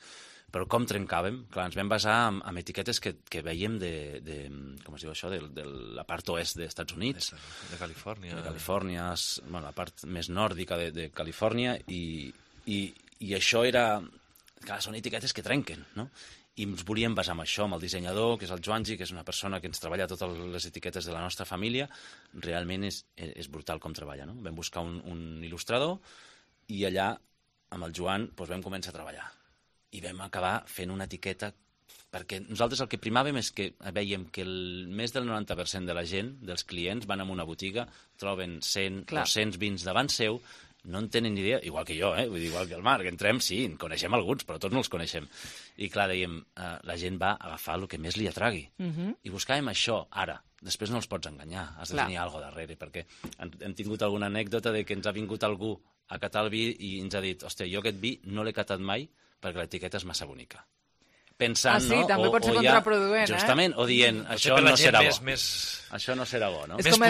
Però com trencàvem? Clar, ens vam basar en etiquetes que veiem com es diu això, de la part oest dels Estats Units. De Califòrnia. De Califòrnia, la part més nòrdica de Califòrnia, i això era... Clar, són etiquetes que trenquen, no? I ens volíem basar en això, amb el dissenyador, que és el Joangi, que és una persona que ens treballa totes les etiquetes de la nostra família. Realment és brutal com treballa, no? Vam buscar un il·lustrador i allà, amb el Joan, vam començar a treballar. I vam acabar fent una etiqueta, perquè nosaltres el que primàvem és que veiem que més del 90% de la gent, dels clients, van a una botiga, troben 100 o 200 vins davant seu, no en tenen ni idea, igual que jo, vull dir, igual que el Marc, entrem, sí, en coneixem alguns, però tots no els coneixem. I clar, dèiem, la gent va agafar el que més li atragui. I buscàvem això, ara. Després no els pots enganyar, has de tenir alguna cosa darrere, perquè hem tingut alguna anècdota de que ens ha vingut algú a catar el vi i ens ha dit, hòstia, jo aquest vi no l'he catat mai perquè l'etiqueta és massa bonica. Pensant, no? També pot ser contraproduent, justament, o dient, això no serà bo. Això no serà bo, no? És com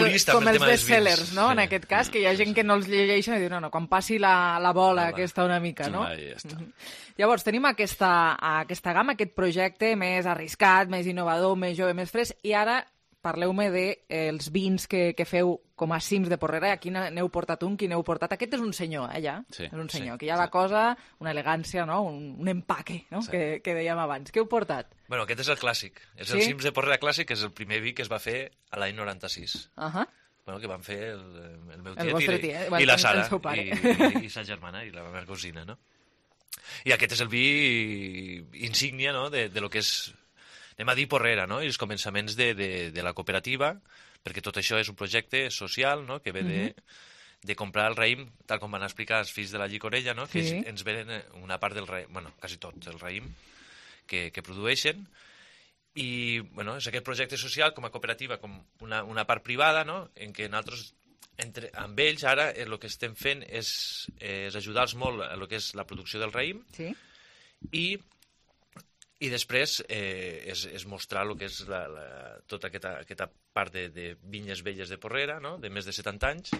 els bestsellers, no? En aquest cas, que hi ha gent que no els llegeix i diu, no, quan passi la bola aquesta una mica, no? Llavors, tenim aquesta gamma, aquest projecte més arriscat, més innovador, més jove, més fresc, i ara parleu-me dels vins que feu com a cims de Porrera. Aquí n'heu portat un, qui n'heu portat? Aquest és un senyor, ja? Sí. És un senyor, que hi ha la cosa, una elegància, no? Un empaque, no? Sí. Que dèiem abans. Què heu portat? Bueno, aquest és el clàssic. És el cims de Porrera clàssic, és el primer vi que es va fer a l'any 96. Bueno, que van fer el meu tiet i la Sara, i sa germana, i la meva cosina, no? I aquest és el vi insígnia, no?, de lo que és, anem a dir, Porrera, no?, i els començaments de la cooperativa, perquè tot això és un projecte social, no?, que ve de comprar el raïm, tal com van explicar els fills de la Llicorella, no?, que ens venen una part del raïm, bueno, quasi tot el raïm que produeixen, i, bueno, és aquest projecte social com a cooperativa, com una part privada, no?, en què nosaltres, amb ells, ara, el que estem fent és ajudar-los molt a el que és la producció del raïm, i després és mostrar el que és tota aquesta part de vinyes velles de Porrera, no?, de més de 70 anys,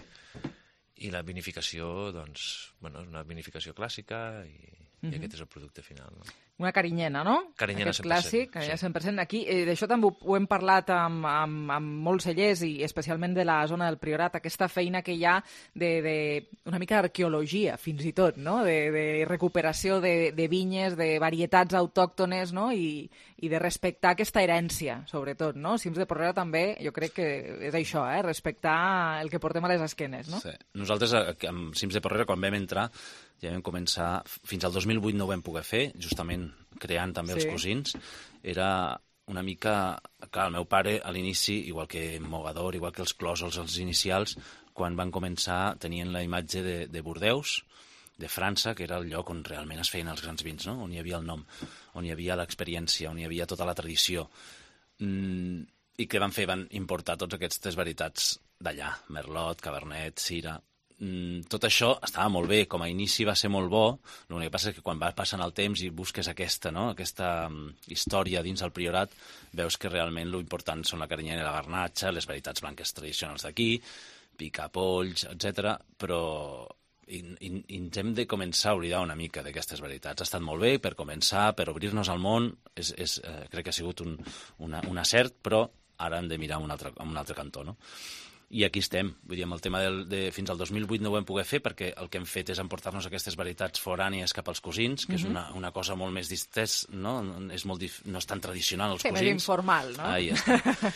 i la vinificació, doncs, bueno, és una vinificació clàssica, i aquest és el producte final, no? Una carinyena, no? Carinyena 100%. Aquest clàssic, carinyena 100%. Aquí, d'això també ho hem parlat amb molts cellers, i especialment de la zona del Priorat, aquesta feina que hi ha una mica d'arqueologia, fins i tot, no? De recuperació de vinyes, de varietats autòctones, no? I de respectar aquesta herència, sobretot, no? Cims de Porrera també, jo crec que és això, respectar el que portem a les esquenes, no? Sí. Nosaltres, amb Cims de Porrera, quan vam entrar, ja vam començar, fins al 2008 no ho vam poder fer, justament creant també els cosins. Era una mica... Clar, el meu pare, a l'inici, igual que Mogador, igual que els clòsols, els inicials, quan van començar tenien la imatge de Bordeus, de França, que era el lloc on realment es feien els grans vins, no? On hi havia el nom, on hi havia l'experiència, on hi havia tota la tradició. I què van fer? Van importar tots aquestes varietats d'allà, Merlot, Cabernet, Syrah... Tot això estava molt bé, com a inici va ser molt bo, l'únic que passa és que quan va passant el temps i busques aquesta història dins el Priorat, veus que realment l'important són la carinyena i la garnatxa, les varietats blanques tradicionals d'aquí, picapolls, etc. Però ens hem de començar a oblidar una mica d'aquestes varietats. Ha estat molt bé per començar, per obrir-nos al món, crec que ha sigut un acert, però ara hem de mirar un altre cantó, no? I aquí estem, vull dir, amb el tema fins al 2008 no ho vam poder fer perquè el que hem fet és emportar-nos aquestes varietats forànies cap als cosins, que és una cosa molt més distès, no? No és tan tradicional els cosins. Més informal, no?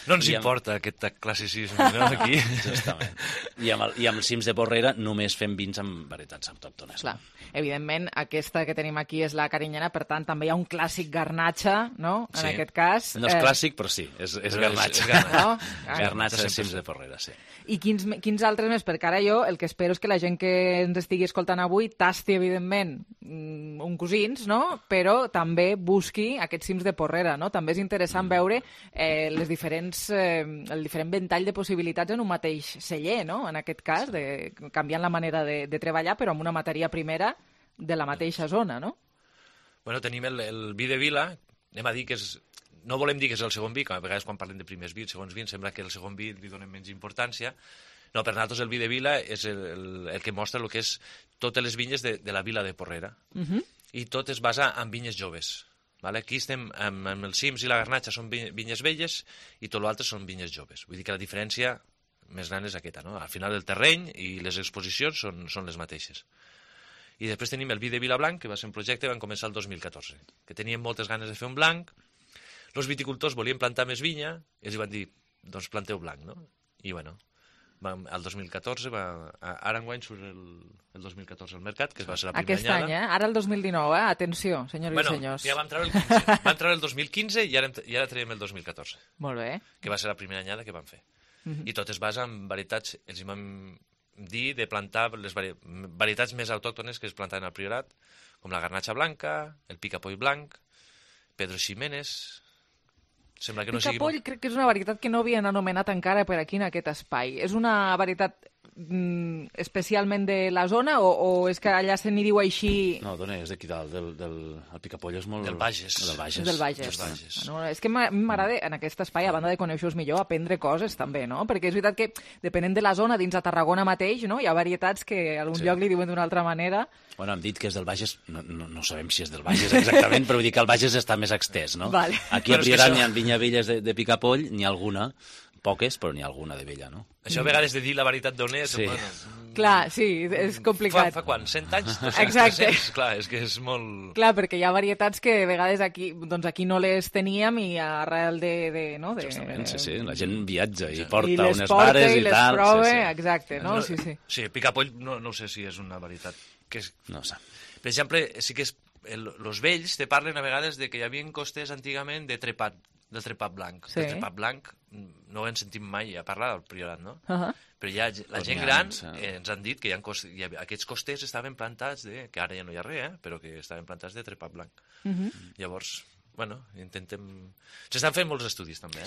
No ens importa aquest classicisme, no, aquí? Justament. I amb els cims de Porrera només fem vins amb varietats autòctones. Clar. Evidentment, aquesta que tenim aquí és la carinyena, per tant, també hi ha un clàssic garnatxa, no?, en aquest cas. No és clàssic, però sí, és garnatxa. No? Garnatxa de cims de Porrera, sí. I quins altres més? Perquè ara jo el que espero és que la gent que ens estigui escoltant avui tasti, evidentment, un cosins, no?, però també busqui aquests cims de Porrera, no? També és interessant veure el diferent ventall de possibilitats en un mateix celler, no?, en aquest cas, canviant la manera de treballar, però amb una matèria primera de la mateixa zona, no? Bueno, tenim el vi de Vila, anem a dir que és... No volem dir que és el segon vi, que a vegades quan parlem de primers vins, segons vins, sembla que el segon vi li donem menys importància. No, per nosaltres el vi de Vila és el que mostra el que és totes les vinyes de la Vila de Porrera. I tot es basa en vinyes joves. Aquí estem amb els cims i la garnatxa, són vinyes velles, i tot l'altre són vinyes joves. Vull dir que la diferència més gran és aquesta, no? Al final el terreny i les exposicions són les mateixes. I després tenim el vi de Vila Blanc, que va ser un projecte que van començar el 2014, que teníem moltes ganes de fer un blanc. Els viticultors volien plantar més vinya i els van dir, doncs planteu blanc, no? I bueno, el 2014, ara enguany surt el 2014 al mercat, que va ser la primera anyada. Aquest any, ara el 2019, atenció, senyors i senyors. Ja vam treure el 15, vam treure el 2015 i ara traiem el 2014. Molt bé. Que va ser la primera anyada que vam fer. I tot es basa en varietats, els hi vam dir de plantar les varietats més autòctones que es plantaven al Priorat, com la garnatxa blanca, el picapoll blanc, Pedro Ximénez... Picapoll crec que és una varietat que no havien anomenat encara per aquí en aquest espai. És una varietat especialment de la zona o és que allà se n'hi diu així? No, dona, és d'aquí dalt, el picapoll és molt... Del Bages. Del Bages. Bueno, és que m'agrada en aquest espai, a banda de conèixer-los millor, aprendre coses també, no? Perquè és veritat que, depenent de la zona, dins de Tarragona mateix, no? Hi ha varietats que a algun lloc li diuen d'una altra manera. Bueno, hem dit que és del Bages, no sabem si és del Bages exactament, però vull dir que el Bages està més extès, no? Vale. Aquí a Priorat n'hi ha vinyavelles de picapoll, n'hi ha alguna, poques, però n'hi ha alguna de vella, no? Això a vegades de dir la veritat d'on és... Sí. Clar, sí, és complicat. Fa quan? 100 anys? 200, Exacte. 300? Clar, és que és molt... Clar, perquè hi ha varietats que a vegades aquí no les teníem i arrel no? Justament, sí. La gent viatja i I porta les unes porta vares i i les tal. prova, Sí. exacte, no? Sí. Sí, picapoll no sé si és una varietat. No sé. Per exemple, sí que els vells te parlen a vegades de que hi havia costers antigament del trepat blanc. Sí. El trepat blanc no ho hem sentit mai a parlar del Priorat, no? Però la gent N'hi ha, gran sí. ens han dit que aquests costers estaven plantats que ara ja no hi ha res, però que estaven plantats de trepat blanc. Llavors, bueno, s'estan fent molts estudis també,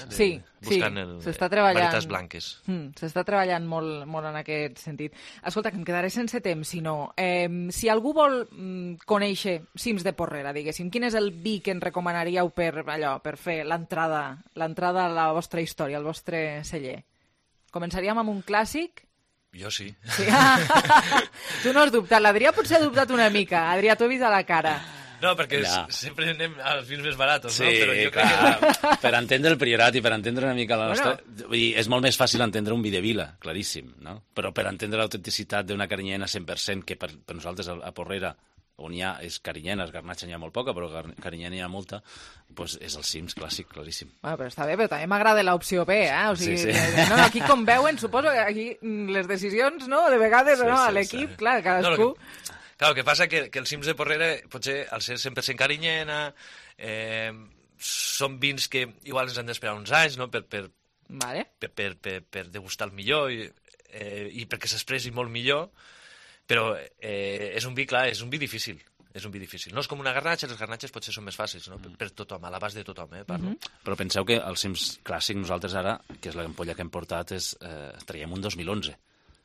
buscant varietats blanques. S'està treballant molt en aquest sentit. Escolta, que em quedaré sense temps, si algú vol conèixer cims de Porrera, diguéssim, quin és el vi que ens recomanaríeu per fer l'entrada a la vostra història, al vostre celler? Començaríem amb un clàssic? Jo sí. Tu no has dubtat, l'Adrià potser ha dubtat una mica. Adrià, t'ho he vist a la cara. No, perquè sempre anem als vins més barats, sí, no? Però jo clar, crec que... per entendre el Priorat i per entendre una mica la nostra... Vull dir, és molt més fàcil entendre un vi de vila, claríssim, no? Però per entendre l'autenticitat d'una carinyena 100%, que per nosaltres a Porrera, on hi ha és carinyena, garnatxa n'hi ha molt poca, però carinyena n'hi ha molta, doncs és el cims clàssic, claríssim. Bueno, però està bé, però també m'agrada l'opció B, eh? O sigui, sí. No, aquí com veuen, suposo que aquí les decisions, no?, de vegades, sí, no?, a sí, l'equip, clar, cadascú... Clar, el que passa que els cims de Porrera, potser al ser 100% carinyena, són vins que igual ens han d'esperar uns anys, no?, per degustar el millor i perquè s'expressi molt millor, però és un vi, clar, és un vi difícil. No és com una garnatxa, les garnatxes potser són més fàcils, no?, per tothom, a l'abast de tothom, parlo. Però penseu que el cims clàssic, nosaltres ara, que és l'ampolla que hem portat, traiem un 2011.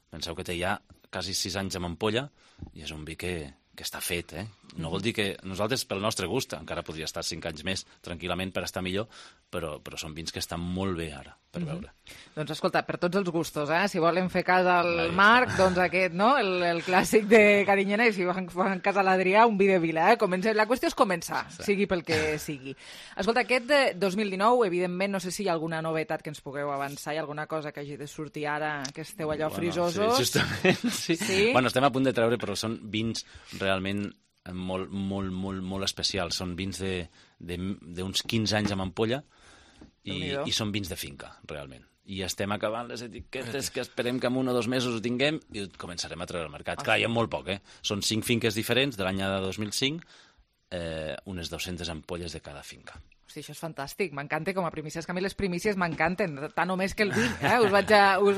Penseu que té ja quasi 6 anys amb ampolla i és un vi que està fet, No vol dir que nosaltres, pel nostre gust, encara podria estar 5 anys més tranquil·lament per estar millor, però són vins que estan molt bé ara, per veure. Doncs escolta, per tots els gustos, si volen fer cas al Marc, doncs aquest, no?, el clàssic de carinyena, i si fan cas a l'Adrià, un vi de vila, La qüestió és començar, sigui pel que sigui. Escolta, aquest de 2019, evidentment, no sé si hi ha alguna novetat que ens pugueu avançar, hi ha alguna cosa que hagi de sortir ara, que esteu allò frisosos. Sí, justament, sí. Bueno, estem a punt de treure, però són vins realment molt especials. Són vins d'uns 15 anys amb ampolla i són vins de finca, realment. I estem acabant les etiquetes que esperem que en 1 o 2 mesos ho tinguem i ho començarem a treure al mercat. Clar, hi ha molt poc, Són 5 finques diferents de l'any de 2005, unes 200 ampolles de cada finca. Hosti, això és fantàstic, m'encanta com a primícies, que a mi les primícies m'encanten, tant o més que el vi, us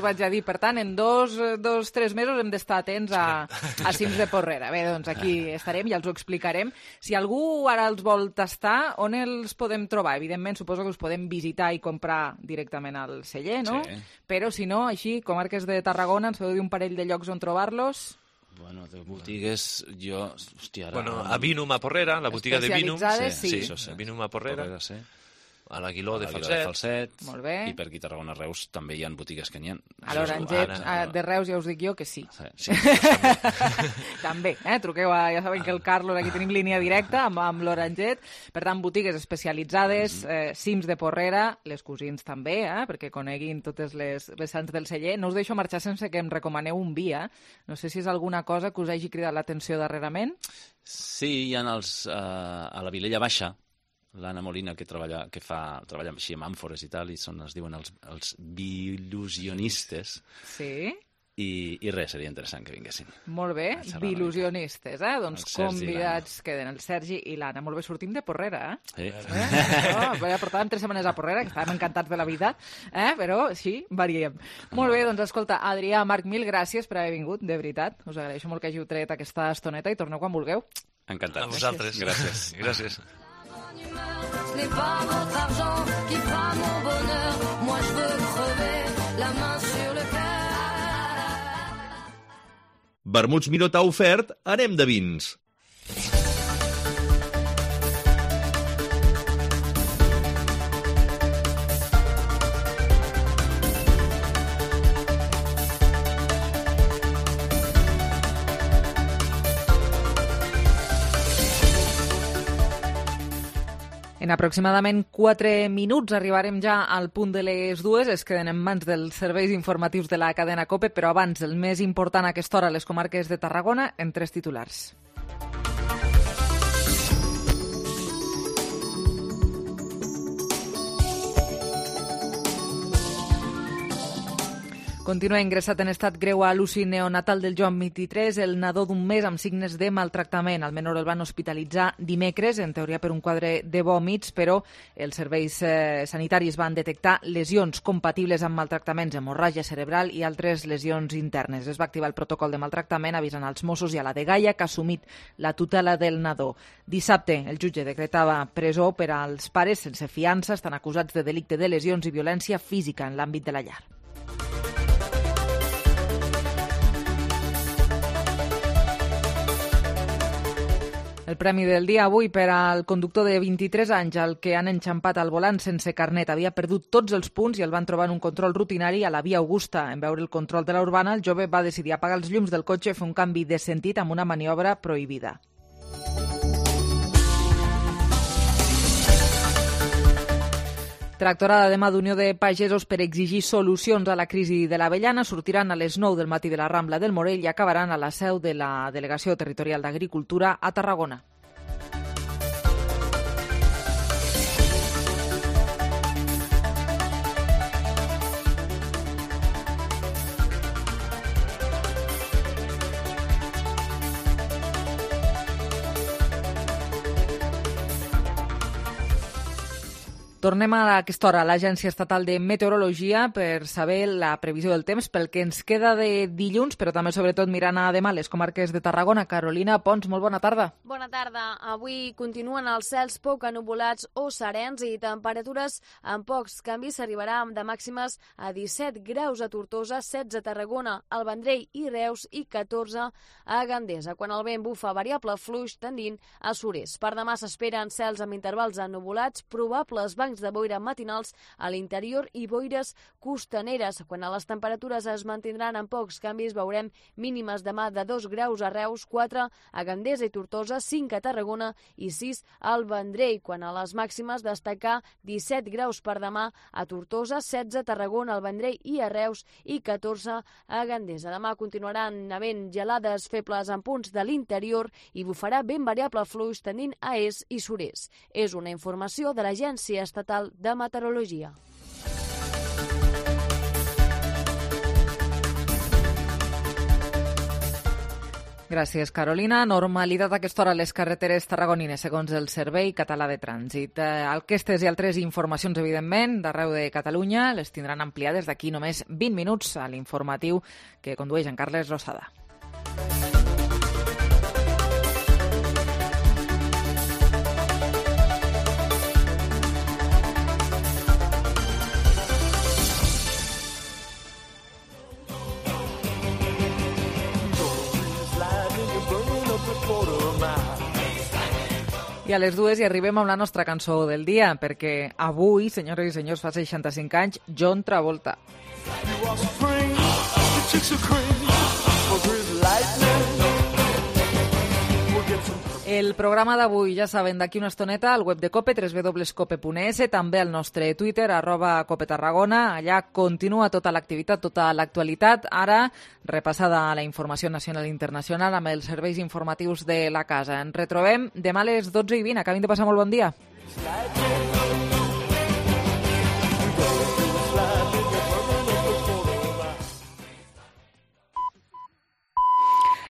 vaig a dir. Per tant, en 2-3 mesos hem d'estar atents a cims de Porrera. Bé, doncs aquí estarem i els ho explicarem. Si algú ara els vol tastar, on els podem trobar? Evidentment, suposo que us podem visitar i comprar directament al celler, no? Sí. Però, si no, així, comarques de Tarragona, ens podeu dir un parell de llocs on trobar-los? Bueno, de botigues, jo... Hòstia, ara... Bueno, a Vinum a Porrera, la botiga de Vinum. Sí. Vinum a Porrera. Sí. A l'Aguiló de Falset. Molt bé. I per aquí a Tarragona, Reus, també hi ha botigues que n'hi ha. A l'Oranget de Reus ja us dic jo que sí. Sí. També, truqueu ja saben que el Carlos, aquí tenim línia directa amb l'Oranget. Per tant, botigues especialitzades, cims de Porrera, les cosins també, perquè coneguin totes les vessants del celler. No us deixo marxar sense que em recomaneu un vi, No sé si és alguna cosa que us hagi cridat l'atenció darrerament. Sí, hi ha a la Vilella Baixa, l'Anna Molina, que treballa així amb àmfores i tal, i es diuen els bilusionistes. Sí. I res, seria interessant que vinguessin. Molt bé, bilusionistes, doncs convidats queden el Sergi i l'Anna. Molt bé, sortim de Porrera, Sí. Portàvem 3 setmanes a Porrera, que estàvem encantats de la vida, però sí, variem. Molt bé, doncs escolta, Adrià, Marc, mil gràcies per haver vingut, de veritat. Us agraeixo molt que hàgiu tret aquesta estoneta i torneu quan vulgueu. Encantat. A vosaltres. Gràcies. Ce n'est pas votre argent qui fera mon bonheur. Moi je veux crever la main sur le cœur. Vermuts Miró t'ha ofert Anem de vins. En aproximadament 4 minuts arribarem ja al punt de les 2. Es queden en mans dels serveis informatius de la cadena COPE, però abans, el més important a aquesta hora, les comarques de Tarragona, en 3 titulars. Continua ingressat en estat greu a l'UCI neonatal del Joan 23 el nadó d'1 mes amb signes de maltractament. El menor el van hospitalitzar dimecres, en teoria per un quadre de vòmits, però els serveis sanitaris van detectar lesions compatibles amb maltractaments, hemorràgia cerebral i altres lesions internes. Es va activar el protocol de maltractament avisant als Mossos i a la dgaia, que ha assumit la tutela del nadó. Dissabte, el jutge decretava presó per als pares sense fiança. Estan acusats de delicte de lesions i violència física en l'àmbit de la llar. El premi del dia avui per al conductor de 23 anys al que han enxampat al volant sense carnet. Havia perdut tots els punts i el van trobar en un control rutinari a la Via Augusta. En veure el control de la Urbana, el jove va decidir apagar els llums del cotxe i fer un canvi de sentit amb una maniobra prohibida. Tractorada demà d'Unió de Pagesos per exigir solucions a la crisi de l'avellana. Sortiran a les 9 del matí de la Rambla del Morell i acabaran a la seu de la Delegació Territorial d'Agricultura a Tarragona. Tornem a aquesta hora a l'Agència Estatal de Meteorologia per saber la previsió del temps pel que ens queda de dilluns, però també sobretot mirant a demà les comarques de Tarragona. Carolina Pons, molt bona tarda. Bona tarda. Avui continuen els cels poc ennuvolats o serens i temperatures amb pocs canvis. S'arribarà de màximes a 17 graus a Tortosa, 16 a Tarragona, al Vendrell i Reus i 14 a Gandesa, quan el vent bufa variable fluix tendint a sud-est. Per demà s'esperen cels amb intervals ennuvolats, probables bancs de boira matinals a l'interior i boires costaneres. Quan a les temperatures es mantindran amb pocs canvis, veurem mínimes demà de 2 graus a Reus, 4 a Gandesa i Tortosa, 5 a Tarragona i 6 al Vendrell. Quan a les màximes, destacar 17 graus per demà a Tortosa, 16 a Tarragona, al Vendrell i a Reus i 14 a Gandesa. Demà continuaran havent gelades febles en punts de l'interior i bufarà vent variable fluix tendint a est i sud-est. És una informació de l'Agència Estatal de Meteorologia. Gràcies, Carolina. Normalitat a aquesta hora a les carreteres tarragonines, segons el Servei Català de Trànsit. Aquestes i altres informacions, evidentment, d'arreu de Catalunya, les tindran ampliades d'aquí només 20 minuts a l'informatiu que condueix en Carles Rosada. I a les 2 hi arribem amb la nostra cançó del dia, perquè avui, senyores i senyors, fa 65 anys, John Travolta. El programa d'avui, ja saben, d'aquí una estoneta al web de COPE, www.cope.es, també al nostre Twitter, @COPETarragona. Allà continua tota l'activitat, tota l'actualitat. Ara, repassada la informació nacional i internacional amb els serveis informatius de la casa. Ens retrobem demà a les 12:20. Acabin de passar molt bon dia.